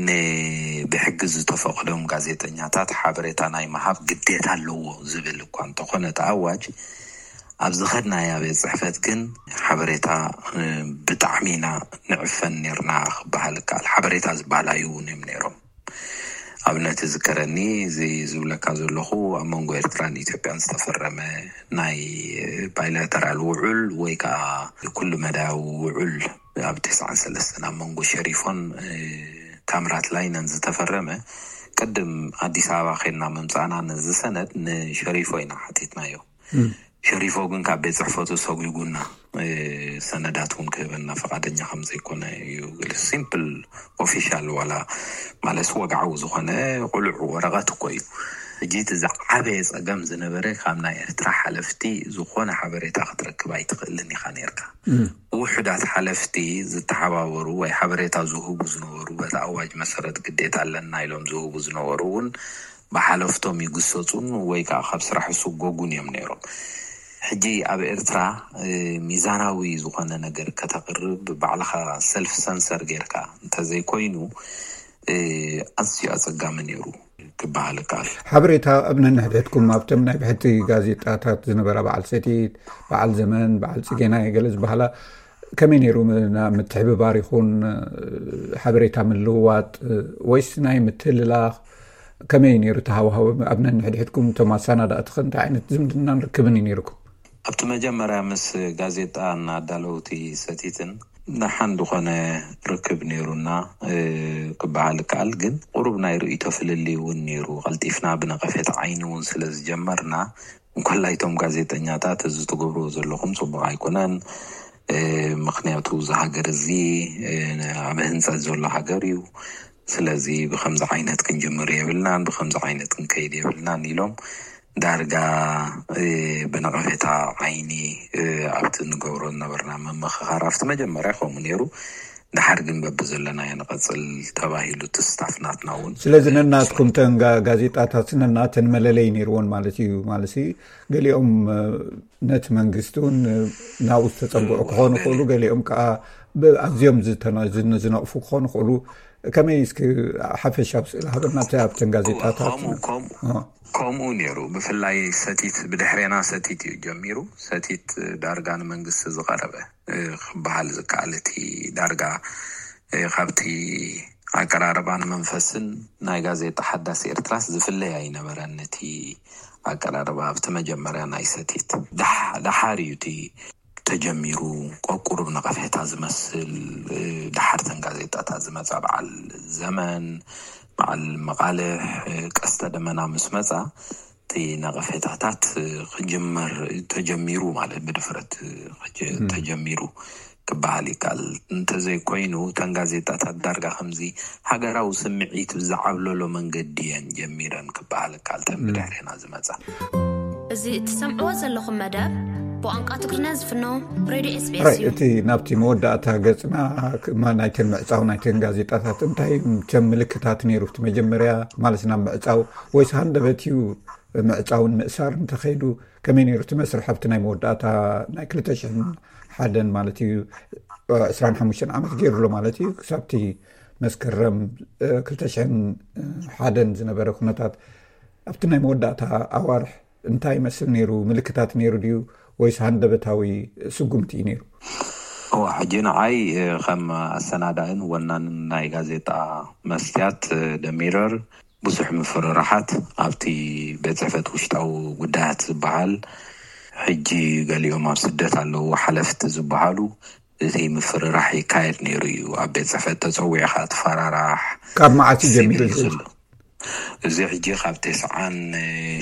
ንብሕጊ ዝተፈቐዶም ጋዜጠኛታት ሓበሬታ ናይ ምሃብ ግዴታ ኣለዎ ዝብል እኳ እንተኾነ እቲ ኣዋጅ፣ ኣብ ዝኸድናያ ቤት ጽሕፈት ግን ሓበሬታ ብጣዕሚ ኢና ንዕፈን ነርና ክበሃል ይከኣል። ሓበሬታ ዝበሃል ኣይህቡን እዮም ነይሮም። ኣብነት ዝከረኒ፣ እዚ ዝብለካ ዘለኹ፣ ኣብ መንጎ ኤርትራን ኢትዮጵያን ዝተፈረመ ናይ ባይላተራል ውዑል ወይ ከዓ ኩሉ መዳያዊ ውዑል፣ ኣብ ተስዓን ሰለስተን ኣብ መንጎ ሸሪፎን ታምራት ላይነን ዝተፈረመ፣ ቅድም ኣዲስ ኣበባ ኸድና ምምፃእና ነዚ ሰነድ ንሸሪፎ ኢና ሓቲትናዮ። ሸሪፎ ግን ካብ ቤት ጽሕፈቱ ሰጒጉና፣ ሰነዳት እውን ክህበና ፈቓደኛ ከም ዘይኮነ እዩ። ሲምፕል ኦፊሻል ዋላ ማለት ወግዓዊ ዝኾነ ቁሉዕ ወረቐት እኮ እዩ። ሕጂ እቲ ዝዓበየ ጸገም ዝነበረ፣ ካብ ናይ ኤርትራ ሓለፍቲ ዝኾነ ሓበሬታ ክትረክብ ኣይትኽእልን ኢኻ ነርካ። ውሑዳት ሓለፍቲ ዝተሓባበሩ ወይ ሓበሬታ ዝህቡ ዝነበሩ፣ በቲ ኣዋጅ መሰረት ግዴታ ኣለና ኢሎም ዝህቡ ዝነበሩ እውን ብሓለፍቶም ይግሰጹን ወይ ከዓ ካብ ስራሕ ይስጎጉን እዮም ነይሮም። ሕጂ ኣብ ኤርትራ ሚዛናዊ ዝኾነ ነገር ከተቕርብ፣ ባዕልኻ ሰልፍ ሰንሰር ጌርካ እንተዘይኮይኑ፣ ኣዝዩ ኣጸጋሚ ነይሩ ክበሃል ይከኣል። ሓበሬታ ኣብ ነንሕድሕድኩም፣ ኣብቶም ናይ ብሕቲ ጋዜጣታት ዝነበራ፣ በዓል ሰቲት፣ በዓል ዘመን፣ በዓል ጽጌና ገለ ዝበሃላ፣ ከመይ ነይሩ? ምትሕብባር ይኹን ሓበሬታ ምልውዋጥ፣ ወይስ ናይ ምትልላኽ? ከመይ ነይሩ ተሃዋህቦ ኣብ ነንሕድሕድኩም? እቶም ኣሰናዳእትኸ እንታይ ዓይነት ዝምድናን ርክብን እዩ ነይርኩም? ኣብቲ መጀመርያ ምስ ጋዜጣ እናዳለውቲ ሰቲትን ደሓን ዝኾነ ርክብ ነይሩና ክበሃል ይከኣል። ግን ቁሩብ ናይ ርእይቶ ፍልልይ እውን ነይሩ። ቀልጢፍና ብነቐፌታ ዓይኒ እውን ስለ ዝጀመርና፣ እንኮላይ እቶም ጋዜጠኛታት፣ እዚ ትገብርዎ ዘለኹም ጽቡቕ ኣይኮነን፣ ምክንያቱ እዚ ሃገር እዚ ኣብ ህንጸት ዘሎ ሃገር እዩ። ስለዚ ብኸምዚ ዓይነት ክንጅምር የብልናን፣ ብኸምዚ ዓይነት ክንከይድ የብልናን ኢሎም ዳርጋ ብነቐፌታ ዓይኒ ኣብቲ ንገብሮ ዝነበርና ምምኽኻር፣ ኣብቲ መጀመርያ ከምኡ ነይሩ። ድሓር ግን በብዘለናዮ ንቐጽል ተባሂሉ፣ እቲ ስታፍ ናትና እውን ስለዚ ነናትኩም ተን ጋ-፣ ጋዜጣታት ነናተን መለለይ ነይርዎን ማለት እዩ። ማለት ገሊኦም ነቲ መንግስቲ እውን ናብኡ ዝተጸግዑ ክኾኑ ይኽእሉ፣ ገሊኦም ከዓ ኣዝዮም ዝተነ-፣ ዝነ-፣ ዝነቕፉ ክኾኑ ይኽእሉ። ከመይ እስኪ ሓፈሻዊ ስእሊ ሃበና ኣብቲ፣ ኣብተን ጋዜጣታት? ከምኡ፣ ከምኡ፣ ከምኡ ነይሩ። ብፍላይ ሰቲት፣ ብድሕሬና ሰቲት እዩ ጀሚሩ። ሰቲት ዳርጋ ንመንግስቲ ዝቐረበ ክበሃል ዝከኣል፣ እቲ ዳርጋ ካብቲ ኣቀራርባን መንፈስን ናይ ጋዜጣ ሓዳስ ኤርትራስ ዝፍለይ ኣይነበረን። እቲ ኣቀራርባ ኣብቲ መጀመርያ ናይ ሰቲት፣ ደሓ-፣ ደሓር እዩ እቲ ተጀሚሩ፣ ቆቁሩብ ነቐፌታ ዝመስል፣ ደሓርተን ጋዜጣታት ዝመጻ፣ በዓል ዘመን፣ በዓል መቓልሕ፣ ቀስተ ደመና ምስ መጻ፣ እቲ ነቐፌታታት ክጅመር ተጀሚሩ፣ ማለት ብድፍረት ተጀሚሩ ክበሃል ይከኣል። እንተዘይኮይኑ፣ እተን ጋዜጣታት ዳርጋ ከምዚ ሃገራዊ ስምዒት ብዝዓብለሎ መንገዲ እየን ጀሚረን ክበሃል ይከኣል፣ እተን ብድሕሬና ዝመጻ። እዚ እትሰምዕዎ ዘለኹም መደብ ብቋንቋ ትግርኛ ዝፍኖ ሬድዮ ኤስቢኤስ እዩ። እቲ ናብቲ መወዳእታ ገጽና፣ ክ-፣ ማ-፣ ናይተን ምዕጻው ናይተን ጋዜጣታት እንታይ ከም ምልክታት ነይሩ? እቲ መጀመርያ ማለት ናብ ምዕጻው ወይስ ሃንደበት እዩ ምዕጻውን ምእሳር እንተኸይዱ ከመይ ነይሩ እቲ መስርሕ ኣብቲ ናይ መወዳእታ ናይ ክልተ ሽሕን ሓደን ማለት እዩ፣ ዕስራን ሓሙሽተን ዓመት ገይሩ ኣሎ ማለት እዩ፣ ክሳብቲ መስከረም፣ እ፣ ክልተ ሽሕን ሓደን ዝነበረ ኩነታት ኣብቲ ናይ መወዳእታ ኣዋርሕ እንታይ ይመስል ነይሩ? ምልክታት ነይሩ ድዩ ወይስ ሃንደበታዊ ስጉምቲ እዩ ነይሩ? እዋ፣ ሕጂ ንዓይ፣ እ፣ ከም ኣሰናዳእን ወናንን ናይ ጋዜጣ መስትያት፣ እ፣ ደሚረር ብዙሕ ምፍርራሓት ኣብቲ ቤት ጽሕፈት ውሽጣዊ ጉዳያት ዝበሃል፣ ሕጂ ገሊኦም ኣብ ስደት ኣለዉ፣ ሓለፍቲ ዝበሃሉ፣ እቲ ምፍርራሕ ይካየድ ነይሩ እዩ። ኣብ ቤት ጽሕፈት ተጸዊዕካ ትፈራራሕ፣ ካብ መዓስ እዩ ጀሚሩ ሲቪል እዚ? ዘሎ። እዚ ሕጂ ካብ ተስዓን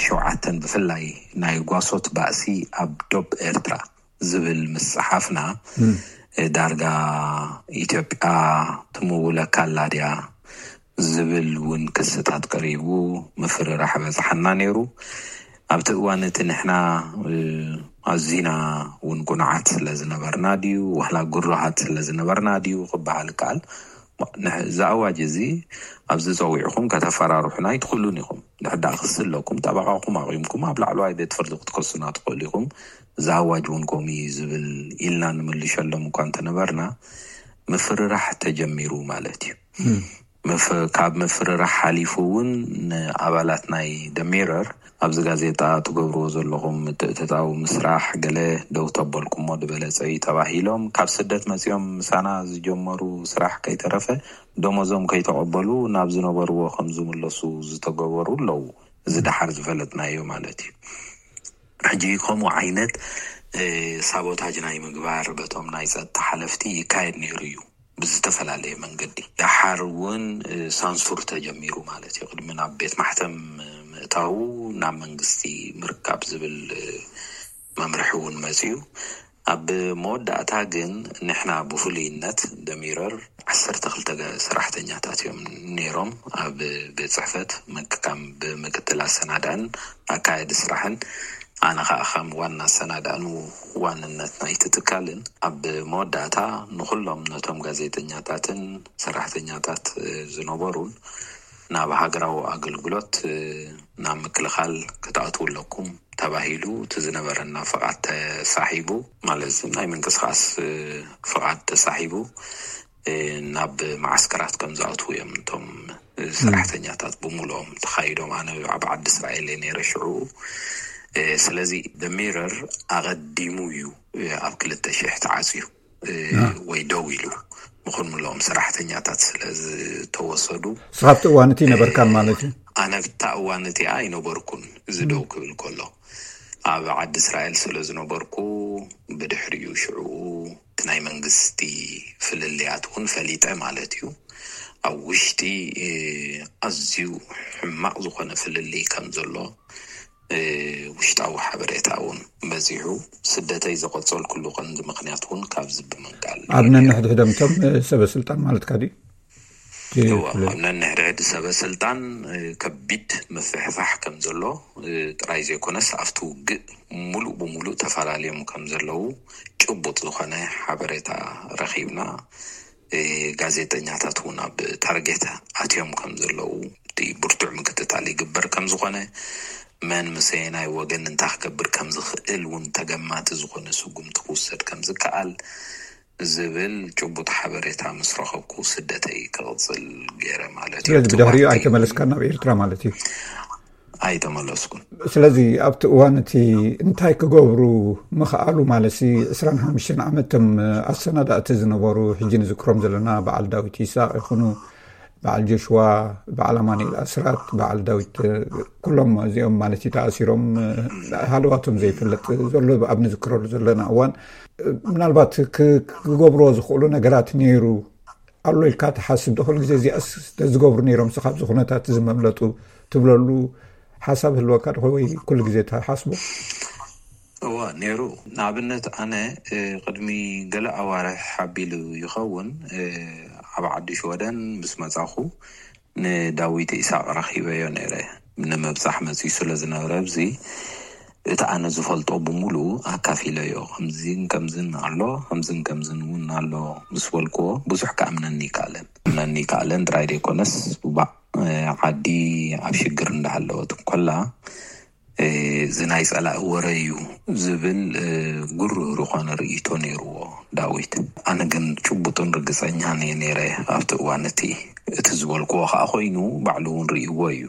ሸውዓተን ብፍላይ ናይ ጓሶት ባእሲ ኣብ ዶብ ኤርትራ ዝብል ምስ ጸሓፍና፣ ዳርጋ ኢትዮጵያ ትምውለካ ኣላ ድያ ዝብል እውን ክስታት ቀሪቡ፣ ምፍርራሕ በጽሓና ነይሩ። ኣብቲ እዋን እቲ ንሕና ኣዚና እውን ቁኑዓት ስለ ዝነበርና ድዩ፣ ዋላ ግሩሃት ስለ ዝነበርና ድዩ ክበሃል ይከኣል። እዚ ኣዋጅ እዚ ኣብዚ ጸዊዕኹም ከተፈራርሑና ኣይትኽእሉን ኢኹም። ድሕዳእ ክሲ ኣለኩም፣ ጠበቓኹም ኣቑምኩም ኣብ ላዕለዋይ ቤት ፍርዲ ክትከሱና ትኽእሉ ኢኹም። እዚ ኣዋጅ እውን ከምኡ እዩ ዝብል ኢልና ንምልሸሎም እኳ እንተነበርና፣ ምፍርራሕ ተጀሚሩ ማለት እዩ። ካብ ምፍርራሕ ሓሊፉ እውን ንኣባላት ናይ ደሚረር ኣብዚ ጋዜጣ ትገብርዎ ዘለኹም ምትእትታው ምስራሕ ገለ ደው ተበልኩሞ ዝበለጸ እዩ ተባሂሎም፣ ካብ ስደት መጺኦም ምሳና ዝጀመሩ ስራሕ ከይተረፈ ደሞዞም ከይተቐበሉ ናብ ዝነበርዎ ከም ዝምለሱ ዝተገበሩ ኣለዉ። እዚ ደሓር ዝፈለጥናዮ ማለት እዩ። ሕጂ ከምኡ ዓይነት ሳቦታጅ ናይ ምግባር በቶም ናይ ጸጥታ ሓለፍቲ ይካየድ ነይሩ እዩ። ብዝተፈላለየ መንገዲ ደሓር እውን ሳንሱር ተጀሚሩ ማለት እዩ። ቅድሚ ናብ ቤት ማሕተም ምእታው ናብ መንግስቲ ምርካብ ዝብል መምርሒ እውን መፅዩ። ኣብ መወዳእታ ግን ንሕና ብፍሉይነት ደሚረር ዓሰርተ ክልተ ሰራሕተኛታት እዮም ነይሮም ኣብ ቤት ፅሕፈት ምክካም ብምክትል ኣሰናዳእን ኣካየዲ ስራሕን ኣነ ከዓ ከም ዋና ኣሰናዳእን ዋንነት ናይቲ ትካልን ኣብ መወዳእታ ንኩሎም ነቶም ጋዜጠኛታትን ሰራሕተኛታት ዝነበሩን ናብ ሃገራዊ ኣገልግሎት ናብ ምክልኻል ክትኣትዉ ኣለኩም ተባሂሉ እቲ ዝነበረና ፍቓድ ተሳሒቡ፣ ማለት ናይ ምንቅስቃስ ፍቓድ ተሳሒቡ ናብ ማዓስከራት ከም ዝኣትዉ እዮም እቶም ሰራሕተኛታት ብምሉኦም ተኻይዶም። ኣነ ኣብ ዓዲ እስራኤል እየ ነይረ ሽዑ። ስለዚ ደሚረር ኣቐዲሙ እዩ ኣብ ክልተ ሽሕ ተዓፅዩ ወይ ደው ኢሉ ምኹን ምሎም ሰራሕተኛታት ስለ ዝተወሰዱ። ስኻብቲ እዋን እቲ ነበርካን ማለት እዩ? ኣነ ብታ እዋን እቲኣ ኣይነበርኩን። እዚ ደው ክብል ከሎ ኣብ ዓዲ እስራኤል ስለ ዝነበርኩ ብድሕሪኡ ሽዑ እቲ ናይ መንግስቲ ፍልልያት እውን ፈሊጠ ማለት እዩ። ኣብ ውሽጢ ኣዝዩ ሕማቕ ዝኾነ ፍልልይ ከም ዘሎ ውሽጣዊ ሓበሬታ እውን በዚሑ። ስደተይ ዘቐጸልኩሉ ቀንዲ ምኽንያት እውን ካብዚ ብምንቃል ኣብ ነንሕድሕዶም እቶም ሰበ ስልጣን ማለትካ ድዩ? ኣብ ነንሕድሕድ ሰበ ስልጣን ከቢድ ምፍሕፋሕ ከም ዘሎ ጥራይ ዘይኮነስ ኣብቲ ውግእ ሙሉእ ብሙሉእ ተፈላለዮም ከም ዘለዉ ጭቡጥ ዝኾነ ሓበሬታ ረኺብና። ጋዜጠኛታት እውን ኣብ ታርጌት ኣትዮም ከም ዘለዉ እቲ ብርቱዕ ምክትታል ይግበር ከም ዝኾነ፣ መን ምሰየናይ ወገን እንታይ ክገብር ከም ዝኽእል እውን ተገማቲ ዝኾነ ስጉምቲ ክውሰድ ከም ዝከኣል ዝብል ጭቡጥ ሓበሬታ ምስ ረኸብኩ ስደተይ ክቕፅል ገይረ ማለት እዩ። ስለዚ ብድሕሪኡ ኣይተመለስካን ናብ ኤርትራ ማለት እዩ? ኣይተመለስኩን። ስለዚ ኣብቲ እዋን እቲ እንታይ ክገብሩ ምኽኣሉ ማለት ሲ ዕስራን ሓሙሽተን ዓመት እቶም ኣሰናዳእቲ ዝነበሩ ሕጂ ንዝክሮም ዘለና በዓል ዳዊት ይስሐቅ ይኹኑ በዓል ጆሽዋ፣ በዓል ኣማኑኤል ኣስራት፣ በዓል ዳዊት ኩሎም እዚኦም ማለት እዩ ተኣሲሮም ሃለዋቶም ዘይፍለጥ ዘሎ ኣብ ንዝክረሉ ዘለና እዋን ምናልባት ክገብርዎ ዝኽእሉ ነገራት ነይሩ ኣሎ ኢልካ ትሓስብ ዶ? ኩሉ ግዜ እዚኣስ ተዝገብሩ ነይሮም ስኻብ እዚ ኩነታት እዚ መምለጡ ትብለሉ ሓሳብ ህልወካ ዶ ወይ ኩሉ ግዜ ትሓስቦ? እዋ ነይሩ። ንኣብነት ኣነ ቅድሚ ገለ ኣዋርሕ ሓቢሉ ይኸውን ኣብ ዓዲ ሽወደን ምስ መጻኹ ንዳዊት ኢሳቅ ረኺበዮ ነይረ። ንምብጻሕ መጺኡ ስለ ዝነበረ ኣብዚ እቲ ኣነ ዝፈልጦ ብምሉኡ ኣካፊለዮ። ከምዚን ከምዝን ኣሎ፣ ከምዝን ከምዝን እውን ኣሎ ምስ በልክዎ ብዙሕ ክኣምነኒ ይከኣለን። ክኣምነኒ ይከኣለን ጥራይ ዘይኮነስ ባዕ ዓዲ ኣብ ሽግር እንዳሃለወት እንኮላ እዚ ናይ ጸላኢ ወረ እዩ ዝብል ጉርህር ዝኾነ ርእይቶ ነይርዎ ዳዊት። ኣነ ግን ጭቡጥን ርግጸኛን እየ ነይረ ኣብቲ እዋን እቲ። እቲ ዝበልክዎ ከኣ ኮይኑ ባዕሉ እውን ርእይዎ እዩ።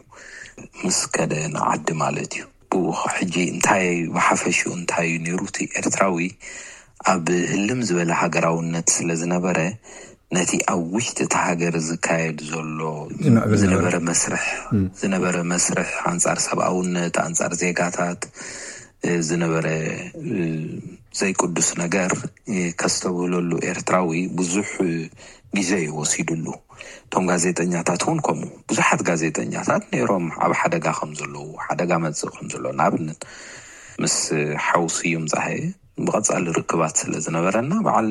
ምስ ከደ ንዓዲ ማለት እዩ። ብኡ ሕጂ እንታይ ብሓፈሽኡ እንታይ እዩ ነይሩ እቲ ኤርትራዊ ኣብ ህልም ዝበለ ሃገራውነት ስለ ዝነበረ ነቲ ኣብ ውሽጢ እቲ ሃገር ዝካየድ ዘሎ ዝነበረ መስርሕ ዝነበረ መስርሕ ኣንጻር ሰብኣውነት ኣንጻር ዜጋታት ዝነበረ ዘይቅዱስ ነገር ከስተብህለሉ ኤርትራዊ ብዙሕ ግዜ እዩ ወሲድሉ። እቶም ጋዜጠኛታት እውን ከምኡ፣ ብዙሓት ጋዜጠኛታት ነይሮም ኣብ ሓደጋ ከም ዘለዉ፣ ሓደጋ መጽእ ከም ዘሎ፣ ንኣብነት ምስ ሓው ስዩም ጻሄ ብቐጻሊ ርክባት ስለ ዝነበረና፣ በዓል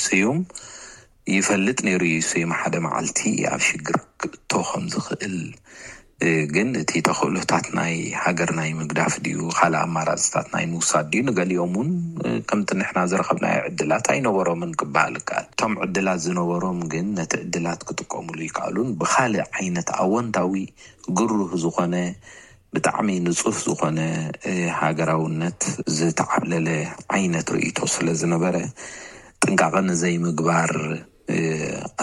ስዩም ይፈልጥ ነይሩ እዩ። ስዩም ሓደ መዓልቲ ኣብ ሽግር ክእቶ ከም ዝኽእል፣ ግን እቲ ተኽእሎታት ናይ ሃገር ናይ ምግዳፍ ድዩ፣ ካልእ ኣማራፅታት ናይ ምውሳድ ድዩ፣ ንገሊኦም እውን ከምቲ ንሕና ዝረኸብናዮ ዕድላት ኣይነበሮምን ክበሃል ይከኣል። እቶም ዕድላት ዝነበሮም ግን ነቲ ዕድላት ክጥቀሙሉ ይከኣሉን ብኻልእ ዓይነት ኣወንታዊ ግሩህ ዝኾነ ብጣዕሚ ንጹህ ዝኾነ ሃገራውነት ዝተዓብለለ ዓይነት ርእይቶ ስለ ዝነበረ፣ ጥንቃቐ ንዘይምግባር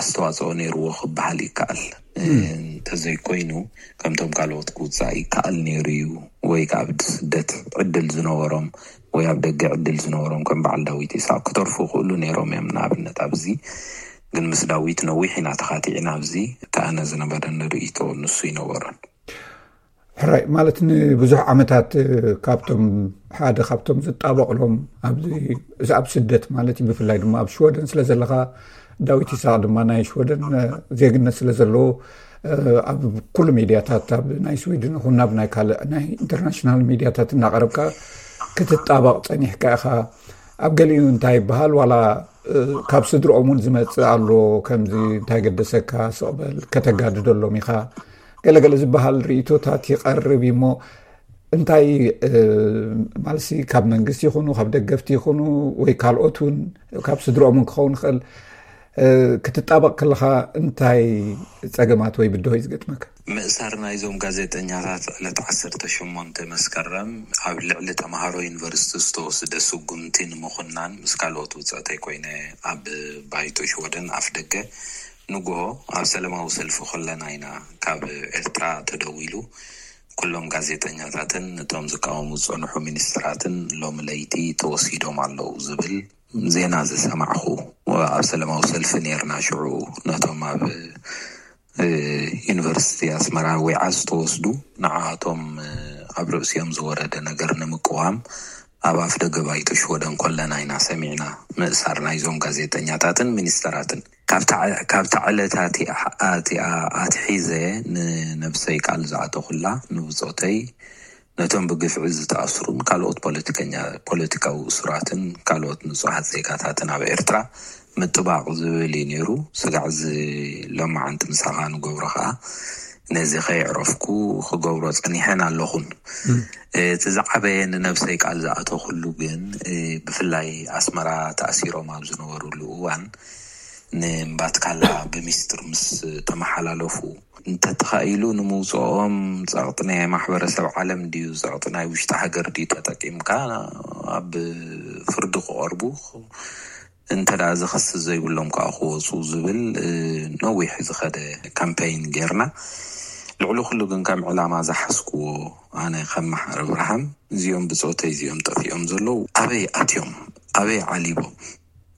ኣስተዋፅኦ ነይርዎ ክበሃል ይከኣል። እንተዘይኮይኑ፣ ከምቶም ካልኦት ክውፃእ ይከኣል ነይሩ እዩ፣ ወይ ከዓ ብስደት ዕድል ዝነበሮም ወይ ኣብ ደገ ዕድል ዝነበሮም ከም በዓል ዳዊት ይስሐቅ ክተርፉ ይኽእሉ ነይሮም እዮም። ንኣብነት ኣብዚ ግን ምስ ዳዊት ነዊሕ ኢና ተኻቲዕና። ኣብዚ እቲ ኣነ ዝነበረኒ ርእይቶ ንሱ ይነበሮን። ሕራይ ማለት ንብዙሕ ዓመታት ካብቶም ሓደ ካብቶም ዝጣበቕሎም ኣብዚ ኣብ ስደት ማለት እዩ፣ ብፍላይ ድማ ኣብ ሽወደን ስለ ዘለኻ፣ ዳዊት ይስሐቅ ድማ ናይ ሽወደን ዜግነት ስለ ዘለዎ ኣብ ኩሉ ሚድያታት ኣብ ናይ ስዊድን ይኹን ናብ ናይ ካልእ ናይ ኢንተርናሽናል ሚድያታት እናቐረብካ ክትጣበቕ ጸኒሕካ ኢኻ። ኣብ ገሊኡ እንታይ ይበሃል ዋላ ካብ ስድርኦም እውን ዝመጽእ ኣሎ፣ ከምዚ እንታይ ገደሰካ ስቕበል ከተጋድደሎም ኢኻ ገለገለ ዝበሃል ርእቶታት ይቐርብ እዩ። እሞ እንታይ ማለት ካብ መንግስቲ ይኹኑ ካብ ደገፍቲ ይኹኑ ወይ ካልኦት እውን ካብ ስድርኦም እውን ክኸውን ይኽእል ክትጣበቕ ከለኻ እንታይ ጸገማት ወይ ብድሆ እዩ ዝገጥመካ? ምእሳር ናይዞም ጋዜጠኛታት ዕለት ዓሰርተ ሸሞንተ መስከረም ኣብ ልዕሊ ተምሃሮ ዩኒቨርሲቲ ዝተወስደ ስጉምቲ ንምኹናን ምስ ካልኦት ውፅዕተይ ኮይነ ኣብ ባይቶ ሽወደን ኣፍ ደገ ንግሆ ኣብ ሰለማዊ ሰልፊ ከለና ኢና ካብ ኤርትራ ተደዊሉ ኩሎም ጋዜጠኛታትን እቶም ዝቃወሙ ዝጸንሑ ሚኒስትራትን ሎሚ ለይቲ ተወሲዶም ኣለዉ ዝብል ዜና ዝሰማዕኹ። ኣብ ሰለማዊ ሰልፊ ነርና ሽዑ ነቶም ኣብ ዩኒቨርሲቲ ኣስመራ ዊዓ ዝተወስዱ ንዓቶም ኣብ ርእሲኦም ዝወረደ ነገር ንምቅዋም ኣብ ኣፍ ደገ ባይቶ ሽወደን ኮለና ኢና ሰሚዕና ምእሳር ናይዞም ጋዜጠኛታትን ሚኒስተራትን። ካብታ ዕለት ኣቲኣ ኣትሒዘ ንነብሰይ ቃል ዝኣተኹላ ንብጾተይ ነቶም ብግፍዒ ዝተኣስሩን ካልኦት ፖለቲከኛ ፖለቲካዊ እሱራትን ካልኦት ንጹሃት ዜጋታትን ኣብ ኤርትራ ምጥባቕ ዝብል እዩ ነይሩ። ስጋዕ እዚ ሎማዓንቲ ምሳኻ ንገብሮ ኸኣ ነዚ ከየዕረፍኩ ክገብሮ ጸኒሐን ኣለኹን። እቲ ዝዓበየ ንነብሰይ ቃል ዝኣተኹሉ ግን ብፍላይ ኣስመራ ተኣሲሮም ኣብ ዝነበሩሉ እዋን ንምባትካላ ብሚስጥር ምስ ተመሓላለፉ እንተተኻኢሉ ንምውፅኦም ፀቕጢ ናይ ማሕበረሰብ ዓለም ድዩ ፀቕጢ ናይ ውሽጢ ሃገር ድዩ ተጠቂምካ ኣብ ፍርዲ ክቐርቡ እንተ ደኣ ዝኸስስ ዘይብሎም ከዓ ክወፁ ዝብል ነዊሕ ዝኸደ ካምፔይን ጌርና። ልዕሊ ኩሉ ግን ከም ዕላማ ዝሓዝክዎ ኣነ ከም መሓር ኣብርሃም እዚኦም ብፆተይ እዚኦም ጠፊኦም ዘለዉ ኣበይ ኣትዮም ኣበይ ዓሊቦም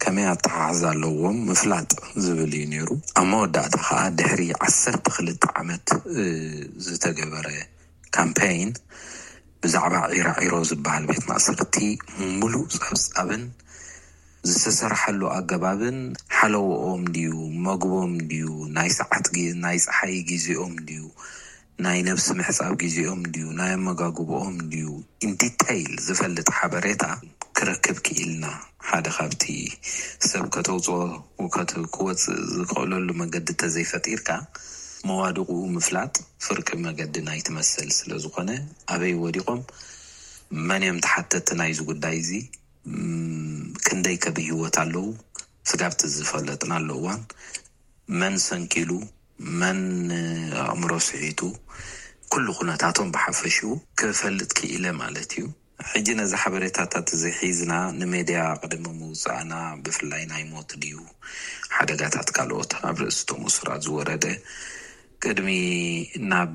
ከመይ ኣተሓሕዛ ኣለዎም ምፍላጥ ዝብል እዩ ነይሩ። ኣብ መወዳእታ ከዓ ድሕሪ ዓሰርተ ክልተ ዓመት ዝተገበረ ካምፔይን ብዛዕባ ዒራዒሮ ዝበሃል ቤት ማእሰርቲ ሙሉእ ፀብፃብን ዝተሰርሐሉ ኣገባብን ሓለዎኦም ድዩ መግቦም ድዩ ናይ ሰዓት ናይ ፀሓይ ግዜኦም ድዩ ናይ ነብሲ ምሕፃብ ግዜኦም ድዩ ናይ ኣመጋግብኦም ድዩ ኢንዲተይል ዝፈልጥ ሓበሬታ ክረክብ ክኢልና። ሓደ ካብቲ ሰብ ከተውፅኦ ክወፅእ ዝክእለሉ መገዲ ተዘይፈጢርካ መዋድቁኡ ምፍላጥ ፍርቂ መገዲ ናይቲ መሰል ስለዝኾነ ኣበይ ወዲቖም መን እዮም ተሓተቲ ናይዚ ጉዳይ እዚ ክንደይ ከ ብህይወት ኣለዉ ስጋብቲ ዝፈለጥናሉ እዋን መን ሰንኪሉ መን ኣእምሮ ስሒቱ ኩሉ ኩነታቶም ብሓፈሽኡ ክፈልጥ ክኢለ ማለት እዩ። ሕጂ ነዚ ሓበሬታታት እዚ ሒዝና ንሜድያ ቅድሚ ምውፃእና ብፍላይ ናይ ሞት ድዩ ሓደጋታት ካልኦት ኣብ ርእስቶም እሱራት ዝወረደ ቅድሚ ናብ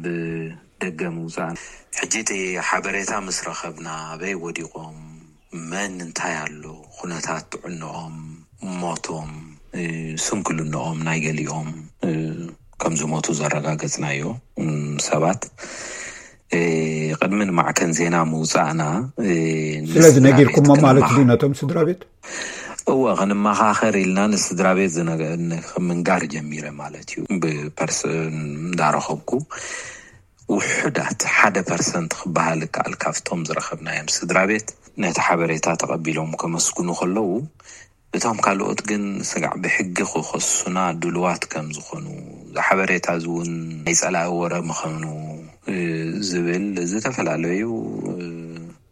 ደገ ምውፃእና ሕጂ እቲ ሓበሬታ ምስ ረኸብና ኣበይ ወዲቖም መን እንታይ ኣሎ ኩነታት ጥዕንኦም ሞቶም ስንክልንኦም ናይ ገሊኦም ከም ዝሞቱ ዘረጋገፅናዮ ሰባት እ፣ ቅድሚ ንማዕከን ዜና ምውፃእና፣ እ፣ ስለዚ ንስድራ ነጊርኩሞ ቤት ማለት ድዩ ክንመሃ- ነቶም ስድራ ቤት? እወ፣ ክንመኻኸር ኢልና ንስድራ ቤት ዝነገ- ን- ምንጋር ጀሚረ ማለት እዩ። ብፐርሰን እንዳረኸብኩ ውሑዳት ሓደ ፐርሰንት ክበሃል ይከኣል ካብቶም ዝረኸብናዮም ስድራ ቤት ነቲ ሓበሬታ ተቐቢሎም ከመስግኑ ከለዉ፣ እቶም ካልኦት ግን ስጋዕ ብሕጊ ክኸሱና ድልዋት ከም ዝኾኑ፣ እዚ ሓበሬታ እዚ እውን ናይ ጸላኢ ወረ ምዃኑ፣ እ፣ ዝብል ዝተፈላለዩ፣ እ፣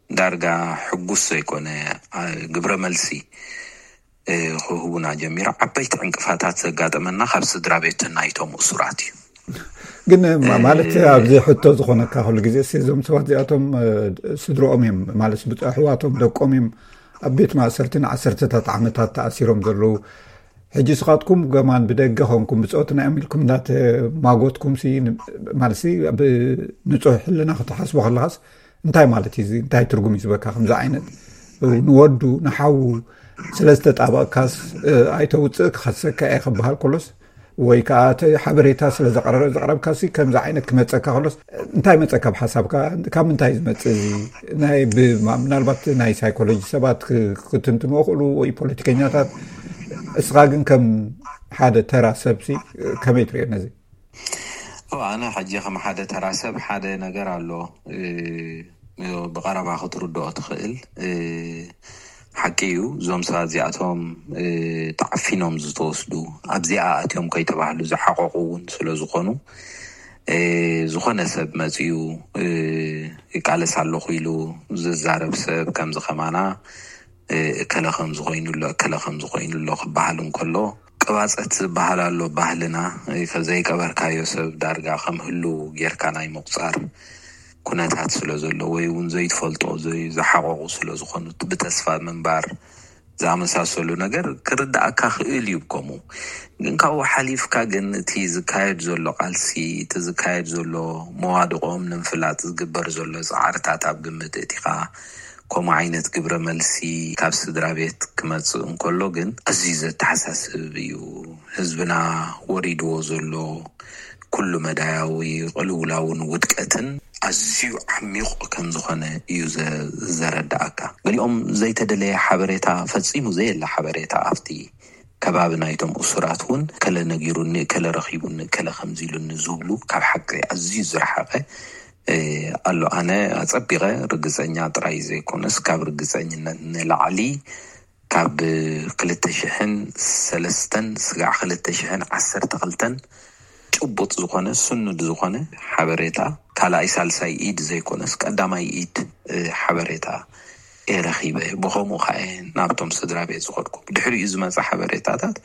ዳርጋ ሕጉስ ዘይኮነ፣ አ፣ ግብረ መልሲ፣ እ፣ ክህቡና ጀሚሩ። ዓበይቲ ዕንቅፋታት ዘጋጠመና ካብ ስድራ ቤት ናይቶም እሱራት እዩ። ግን ማ- ማለት ኣብዚ ሕቶ ዝኾነካ ኩሉ ግዜ እሲ እዞም ሰባት እዚኣቶም፣ እ፣ ስድሮኦም እዮም ማለት ብፅ- ኣሕዋቶም ደቆም እዮም ኣብ ቤት ማእሰርቲ ንዓሰርተታት ዓመታት ተኣሲሮም ዘለዉ። ሕጂ ስኻትኩም ገማን ብደገ ኾንኩም ብፆትና እዮም ኢልኩም እንዳተማጎትኩም ሲ ን- ማለት ሲ ብንፁህ ሕልና ክትሓስቦ ከለኻስ እንታይ ማለት እዩ እዚ? እንታይ ትርጉም እዩ ዝበካ ከምዚ ዓይነት ንወዱ ንሓዉ ስለ ዝተጣበቕካስ፣ እ፣ ኣይተውፅእ ክኸሰካ እየ ክበሃል ከሎስ ወይ ከዓ እቲ ሓበሬታ ስለ ዘቕረ- ዘቕረብካሲ ከምዚ ዓይነት ክመፀካ ከሎስ እንታይ መፀካ ብሓሳብካ? ካብ ምንታይ ዝመፅእ እዚ? ናይ ብ- ማ- ምናልባት ናይ ሳይኮሎጂ ሰባት ክ- ክትንትንዎ ክእሉ ወይ ፖለቲከኛታት፣ እስኻ ግን ከም ሓደ ተራ ሰብሲ ከመይ ትሪኦ ነዚ? ኦ፣ ኣነ ሕጂ ከም ሓደ ተራ ሰብ ሓደ ነገር ኣሎ፣ እ፣ ብቐረባ ክትርድኦ ትኽእል፣ እ፣ ሓቂ እዩ። እዞም ሰባት እዚኣቶም፣ እ፣ ተዓፊኖም ዝተወስዱ፣ ኣብዚኣ ኣትዮም ከይተባህሉ ዝሓቐቑ እውን ስለ ዝኾኑ፣ እ፣ ዝኾነ ሰብ መፂኡ፣ እ፣ ይቃለስ ኣለኹ ኢሉ ዝዛረብ ሰብ ከምዚ ከማና፣ እ፣ እከለ ከም ዝኾይኑ ኣሎ፣ እከለ ከም ዝኾይኑ ኣሎ ክበሃል እንከሎ፣ ቅባፀት ዝበሃል ኣሎ ባህልና፣ እ፣ ዘይቀበርካዮ ሰብ ዳርጋ ከም ህሉ ጌርካ ናይ ምቑፃር ኩነታት ስለ ዘሎ፣ ወይ እውን ዘይትፈልጦ፣ ዘይ-፣ ዝሓቐቑ ስለ ዝኾኑ፣ ብተስፋ ምንባር ዝኣመሳሰሉ ነገር ክርድኣካ ክእል እዩ። ከምኡ ግን ካብኡ ሓሊፍካ ግን እቲ ዝካየድ ዘሎ ቃልሲ፣ እቲ ዝካየድ ዘሎ መዋድቖም ንምፍላጥ ዝግበር ዘሎ ፃዕርታት ኣብ ግምት እቲኻ፣ ከምኡ ዓይነት ግብረ መልሲ ካብ ስድራ ቤት ክመጽእ እንከሎ ግን ኣዝዩ ዘተሓሳስብ እዩ። ህዝብና ወሪድዎ ዘሎ ኩሉ መዳያዊ ቅልውላውን ውድቀትን ኣዝዩ ዓሚቕ ከም ዝኾነ እዩ ዘ-፣ ዘረድኣካ። ገሊኦም ዘይተደለየ ሓበሬታ፣ ፈጺሙ ዘየለ ሓበሬታ ኣብቲ ከባቢ ናይቶም እሱራት እውን ከለ ነጊሩኒ፣ ከለ ረኺቡኒ፣ ከለ ከምዚ ኢሉኒ ዝብሉ ካብ ሓቂ ኣዝዩ ዝረሓቐ፣ እ፣ ኣሎ። ኣነ ኣጸቢቐ ርግጸኛ ጥራይ ዘይኮነስ ካብ ርግጸኝነት ንላዕሊ ካብ ክልተ ሽሕን ሰለስተን ስጋዕ ክልተ ሽሕን ዓሰርተ ክልተን ጭቡጥ ዝኾነ ስኑድ ዝኾነ ሓበሬታ ካልኣይ ሳልሳይ ኢድ ዘይኮነስ ቀዳማይ ኢድ፣ እ፣ ሓበሬታ እየ ረኺበ። ብኸምኡ ከዓ እየ ናብቶም ስድራ ቤት ዝኸድኩ። ብድሕሪኡ ዝመፀ ሓበሬታታት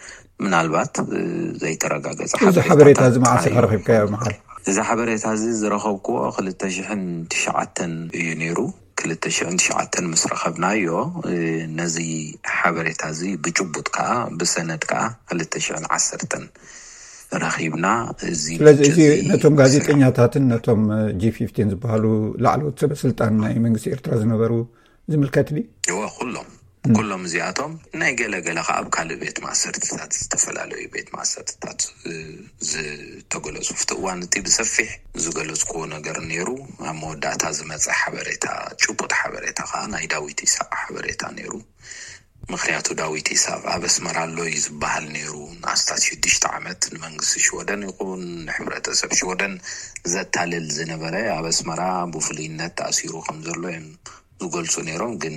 ምናልባት፣ እ፣ ዘይተረጋገፀ እዚ ሓበሬታ እዚ መዓስ ኢኻ ረኺብካዮ መዓል? እዚ ሓበሬታ እዚ ዝረኸብኩዎ ክልተ ሽሕን ትሽዓተን እዩ ነይሩ። ክልተ ሽሕን ትሽዓተን ምስ ረኸብናዮ፣ እ፣ ነዚ ሓበሬታ እዚ ብጭቡጥ ከዓ ብሰነድ ከዓ ክልተ ሽሕን ዓሰርተን ረኺብና። እዚ ስለዚ ምንጪ እዚ እዚ ነቶም ስለ ጋዜጠኛታትን ነቶም ጂ ፊፍቲን ዝበሃሉ ላዕለዎት ሰበ ስልጣን ናይ መንግስቲ ኤርትራ ዝነበሩ ዝምልከት ድዩ? እወ፣ ኩሎም ኩሎም እዚኣቶም ናይ ገለ ገለ ከዓ ኣብ ካልእ ቤት ማእሰርትታት፣ ዝተፈላለዩ ቤት ማእሰርትታት፣ እ፣ ዝተገለጹ፣ ኣብቲ እዋን እቲ ብሰፊሕ ዝገለጽኩዎ ነገር ነይሩ። ኣብ መወዳእታ ዝመጸ ሓበሬታ፣ ጭቡጥ ሓበሬታ ከዓ ናይ ዳዊት ይስሐቅ ሓበሬታ ነይሩ። ምኽንያቱ ዳዊት ይስሐቅ ኣብ ኣስመራ ኣሎ እዩ ዝበሃል ነይሩ። ንኣስታት ሽዱሽተ ዓመት ንመንግስቲ ሽወደን ይኹን ንሕብረተሰብ ሽወደን ዘታልል ዝነበረ፣ ኣብ ኣስመራ ብፍሉይነት ተኣሲሩ ከም ዘሎ እዮም ዝገልጹ ነይሮም። ግን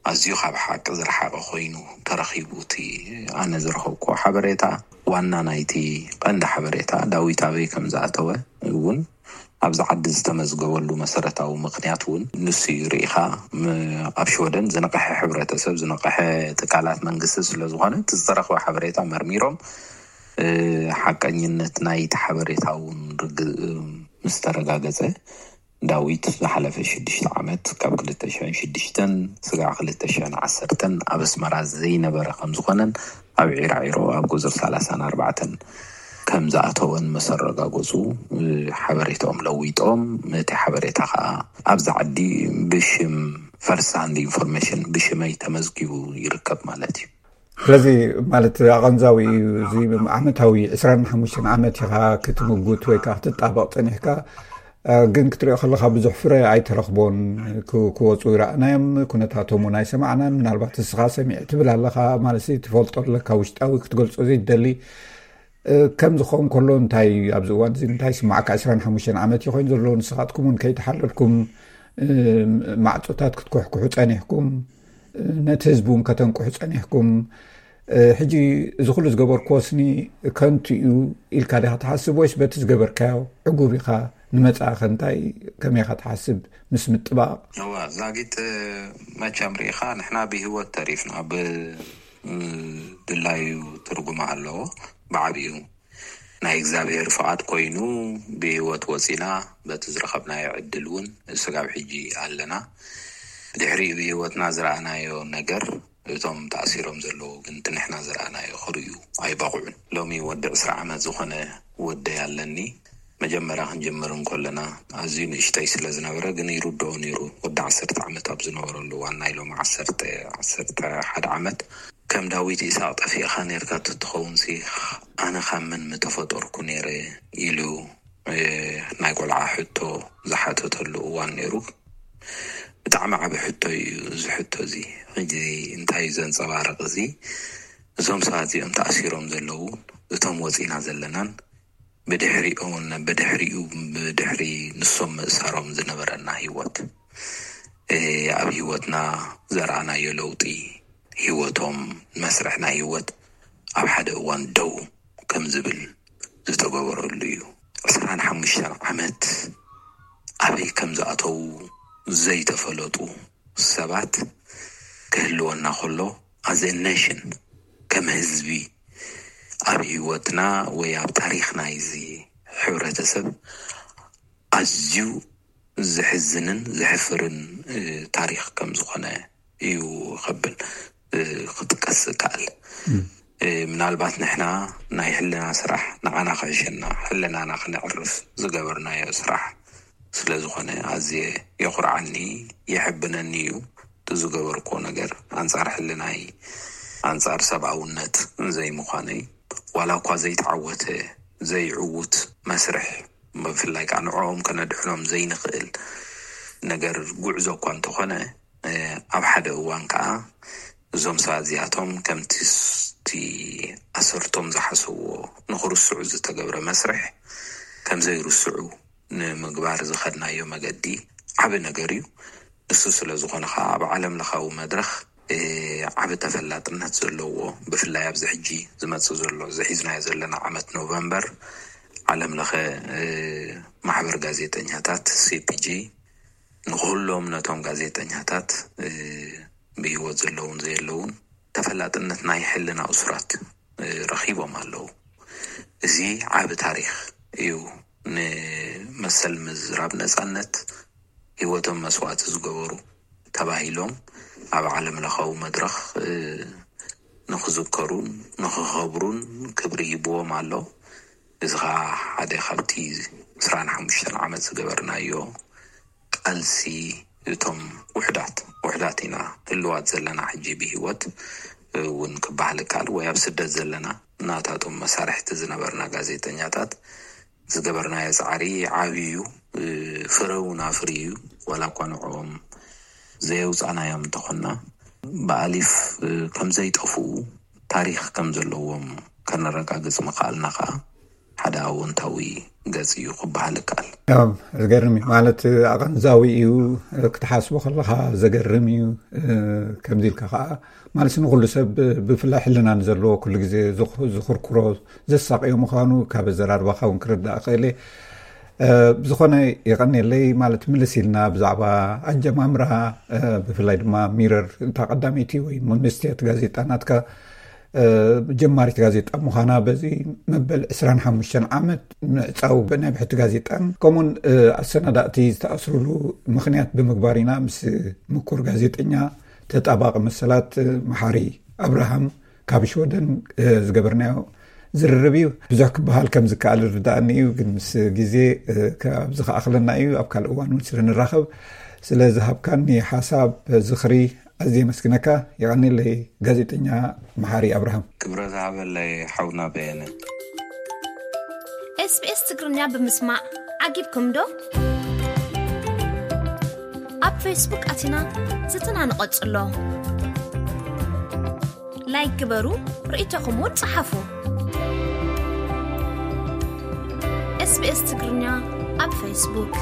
ኣዝዩ ካብ ሓቂ ዝረሓቐ ኮይኑ ተረኺቡ። እቲ ኣነ ዝረኸብኩዎ ሓበሬታ፣ ዋና ናይቲ ቀንዲ ሓበሬታ ዳዊት ኣበይ ከም ዝኣተወ እውን ኣብዚ ዓዲ ዝተመዝገበሉ መሰረታዊ ምኽንያት እውን ንሱ እዩ። ርኢኻ፣ ም-፣ ኣብ ሽወደን ዝነቕሐ ሕብረተሰብ፣ ዝነቕሐ ትካላት መንግስቲ ስለ ዝኾነ፣ እቲ ዝተረኽበ ሓበሬታ መርሚሮም፣ እ፣ ሓቀኝነት ናይቲ ሓበሬታ እውን ርግ-፣ ምስ ተረጋገጸ፣ ዳዊት ዝሓለፈ ሽዱሽተ ዓመት፣ ካብ ክልተ ሽሕን ሽዱሽተን ስጋዕ ክልተ ሽሕን ዓሰርተን ኣብ ኣስመራ ዘይነበረ ከም ዝኾነን ኣብ ዒራዒሮ ኣብ ቁጽሪ ሰላሳን ኣርባዕተን ከም ዝኣተወን ምስ ኣረጋገጹ፣ እ፣ ሓበሬታኦም ለዊጦም፣ እቲ ሓበሬታ ከኣ ኣብዚ ዓዲ ብሽም ፈርስት ሃንድ ኢንፎርሜሽን ብሽመይ ተመዝጊቡ ይርከብ ማለት እዩ። ስለዚ ማለት ኣቐንዛዊ እዩ። እዚ ዓመታዊ ዕስራን ሓሙሽተን ዓመት ኢኻ ክትምጉት ወይ ከዓ ክትጣበቕ ጸኒሕካ፣ ግን ክትሪኦ ከለካ ብዙሕ ፍረ ኣይተረክቦን። ክወፁ ይረኣናዮም፣ ኩነታቶም እውን ኣይሰማዕናን። ምናልባት እስኻ ሰሚዕ ትብል ኣለካ ማለት ትፈልጦ ኣለካ፣ ውሽጣዊ ክትገልፆ ዘይደሊ። ከም ዝኸውን ከሎ እንታይ ኣብዚ እዋን እዚ እንታይ ስማዕካ? ዕስራን ሓሙሽተን ዓመት እዩ ኮይኑ ዘሎ። ንስኻትኩም እውን ከይተሓለልኩም ማዕፆታት ክትኩሕኩሑ ፀኒሕኩም፣ ነቲ ህዝቢ እውን ከተንቁሑ ፀኒሕኩም። ሕጂ እዚ ኩሉ ዝገበርክዎ ስኒ ከንቱ እዩ ኢልካ ዲኻ ትሓስብ፣ ወይስ በቲ ዝገበርካዮ ዕጉብ ኢኻ? ንመጻእኸ እንታይ ከመይ ኢኻ ትሓስብ ምስ ምጥባቕ? እዋ ዛጊት፣ መቸም ርኢኻ ንሕና ብህይወት ተሪፍና ብድላዩ ትርጉም ኣለዎ። ብዓብዩ ናይ እግዚኣብሔር ፍቓድ ኮይኑ ብህይወት ወፂና፣ በቲ ዝረኸብናዮ ዕድል እውን ስጋብ ሕጂ ኣለና። ድሕሪኡ ብህይወትና ዝረኣናዮ ነገር እቶም ተኣሲሮም ዘለዉ ግን እቲ ንሕና ዝረኣናዮ ክርእዩ ኣይበቕዑን። ሎሚ ወዲ ዕስራ ዓመት ዝኾነ ወደይ ኣለኒ። መጀመርያ ክንጅምር እንከለና ኣዝዩ ንእሽተይ ስለ ዝነበረ ግን ይርድኦ ነይሩ። ወዲ ዓሰርተ ዓመት ኣብ ዝነበረሉ እዋን ናይ ሎሚ ዓሰርተ፣ ዓሰርተ ሓደ ዓመት ከም ዳዊት ኢሳቕ ጠፊእኻ ነርካ ትትኸውን ሲ ኣነ ካብ መን ምተፈጠርኩ ነይረ ኢሉ ናይ ቆልዓ ሕቶ ዝሓተተሉ እዋን ነይሩ። ብጣዕሚ ዓቢ ሕቶ እዩ እዚ ሕቶ እዚ። ሕጂ እንታይ እዩ ዘንጸባርቕ እዚ? እዞም ሰባት እዚኦም ተኣሲሮም ዘለዉ፣ እቶም ወጺና ዘለናን ብድሕሪኦም ብድሕሪኡ ብድሕሪ ንሶም ምእሳሮም ዝነበረና ህይወት፣ ኣብ ህይወትና ዘርኣናዮ ለውጢ፣ ህይወቶም መስርሕ ናይ ህይወት ኣብ ሓደ እዋን ደው ከም ዝብል ዝተገበረሉ እዩ። ዕስራን ሓሙሽተን ዓመት ኣበይ ከም ዝኣተዉ ዘይተፈለጡ ሰባት ክህልወና ከሎ፣ as a nation፣ ከም ህዝቢ ኣብ ህይወትና ወይ ኣብ ታሪኽ ናይዚ ሕብረተሰብ ኣዝዩ ዘሕዝንን ዘሕፍርን ታሪኽ ከም ዝኾነ እዩ ከብል ክጥቀስ እከኣል። ምናልባት ንሕና ናይ ሕልና ስራሕ ንዓና ክሕሸና፣ ሕልናና ክነዕርፍ ዝገበርናዮ ስራሕ ስለ ዝኾነ ኣዝየ የኹርዓኒ፣ የሕብነኒ እዩ። እቲ ዝገበርክዎ ነገር ኣንጻር ሕልናይ፣ ኣንጻር ሰብኣውነት ዘይምዃነይ፣ ዋላ እኳ ዘይተዓወተ ዘይዕዉት መስርሕ፣ ብፍላይ ከዓ ንዕኦም ከነድሕኖም ዘይንኽእል ነገር ጉዕዞ እኳ እንተኾነ፣ ኣብ ሓደ እዋን ከዓ እዞም ሰባት እዚኣቶም ከምቲ ኣሰርቶም ዝሓሰብዎ ንኽርስዑ ዝተገብረ መስርሕ ከም ዘይርስዑ ንምግባር ዝኸድናዮ መገዲ ዓቢ ነገር እዩ። እሱ ስለ ዝኾነ ከዓ ኣብ ዓለም ለኻዊ መድረኽ ዓቢ ተፈላጥነት ዘለዎ፣ ብፍላይ ኣብዚ ሕጂ ዝመጽእ ዘሎ ዝሒዝናዮ ዘለና ዓመት ኖቨምበር ዓለም ለኸ ማሕበር ጋዜጠኛታት፣ ሲ ፒ ጂ፣ ንኩሎም ነቶም ጋዜጠኛታት ብህይወት ዘለውን ዘየለውን ተፈላጥነት ናይ ሕልና እሱራት ረኺቦም ኣለዉ። እዚ ዓቢ ታሪኽ እዩ። ንመሰል ምዝራብ ነጻነት ህይወቶም መስዋእቲ ዝገበሩ ተባሂሎም ኣብ ዓለም ለኻዊ መድረኽ ንኽዝከሩን ንኽኸብሩን ክብሪ ይብዎም ኣሎ። እዚ ኸዓ ሓደ ካብቲ ዕስራን ሓሙሽተን ዓመት ዝገበርናዮ ቃልሲ፣ እቶም ውሕዳት ውሕዳት ኢና ህልዋት ዘለና ሕጂ ብህይወት እውን ክበሃል ይከኣል፣ ወይ ኣብ ስደት ዘለና ናታቶም መሳርሕቲ ዝነበርና ጋዜጠኛታት ዝገበርናዮ ጻዕሪ ዓብዩ እዩ። ፍረ እውን ኣፍርዩ እዩ። ዋላ እኳ ንዕኦም ዘየውጻናዮም እንተኾንና፣ ብኣሊፍ ከም ዘይጠፍኡ፣ ታሪኽ ከም ዘለዎም ከነረጋግጽ ምኽኣልና ከዓ ሓደ ኣወንታዊ ገጽ እዩ ክበሃል ይከኣል። ዝገርም እዩ ማለት፣ ኣቐንዛዊ እዩ። ክትሓስቦ ከለኻ ዘገርም እዩ። ከምዚ ኢልካ ከዓ ማለት ንኩሉ ሰብ፣ ብፍላይ ሕልና ንዘለዎ፣ ኩሉ ግዜ ዝኽርኩሮ፣ ዘሳቕዮ ምዃኑ ካብ ኣዘራርባኻ እውን ክርዳእ ክእል እየ። ብዝኾነ፣ የቐንየለይ ማለት፣ ምልስ ኢልና ብዛዕባ ኣጀማምራ፣ ብፍላይ ድማ ሚረር፣ እታ ቀዳመይቲ ወይ መንግስትያት ጋዜጣ ናትካ፣ ጀማሪት ጋዜጣ ምዃና፣ በዚ መበል ዕስራን ሓሙሽተን ዓመት ምዕጻው ናይ ብሕቲ ጋዜጣን ከምኡውን ኣሰናዳእቲ ዝተኣስሩሉ ምኽንያት ብምግባር ኢና ምስ ምኩር ጋዜጠኛ፣ ተጣባቂ መሰላት፣ መሓሪ ኣብርሃም ካብ ሽወደን ዝገበርናዮ ዝርርብ እዩ። ብዙሕ ክበሃል ከም ዝከኣል ይርዳእኒ እዩ፣ ግን ምስ ግዜ ኣብዚ ከኣኽለና እዩ። ኣብ ካልእ እዋን እውን ስለ ንራኸብ፣ ስለ ዝሃብካኒ ሓሳብ፣ ዝኽሪ ኣዝየ የመስግነካ። የቐንየለይ ጋዜጠኛ መሓሪ ኣብርሃም። ክብረት ዝሃበለይ ሓውና በየነ። ኤስ ቢ ኤስ ትግርኛ ብምስማዕ ዓጊብኩም ዶ? ፌስቡክ ኣቲና ዝትና ንቐጽሎ። ላይክ ግበሩ፣ ርእይቶኹም እውን ጸሓፉ። SBS ትግርኛ ኣብ ፌስቡክ።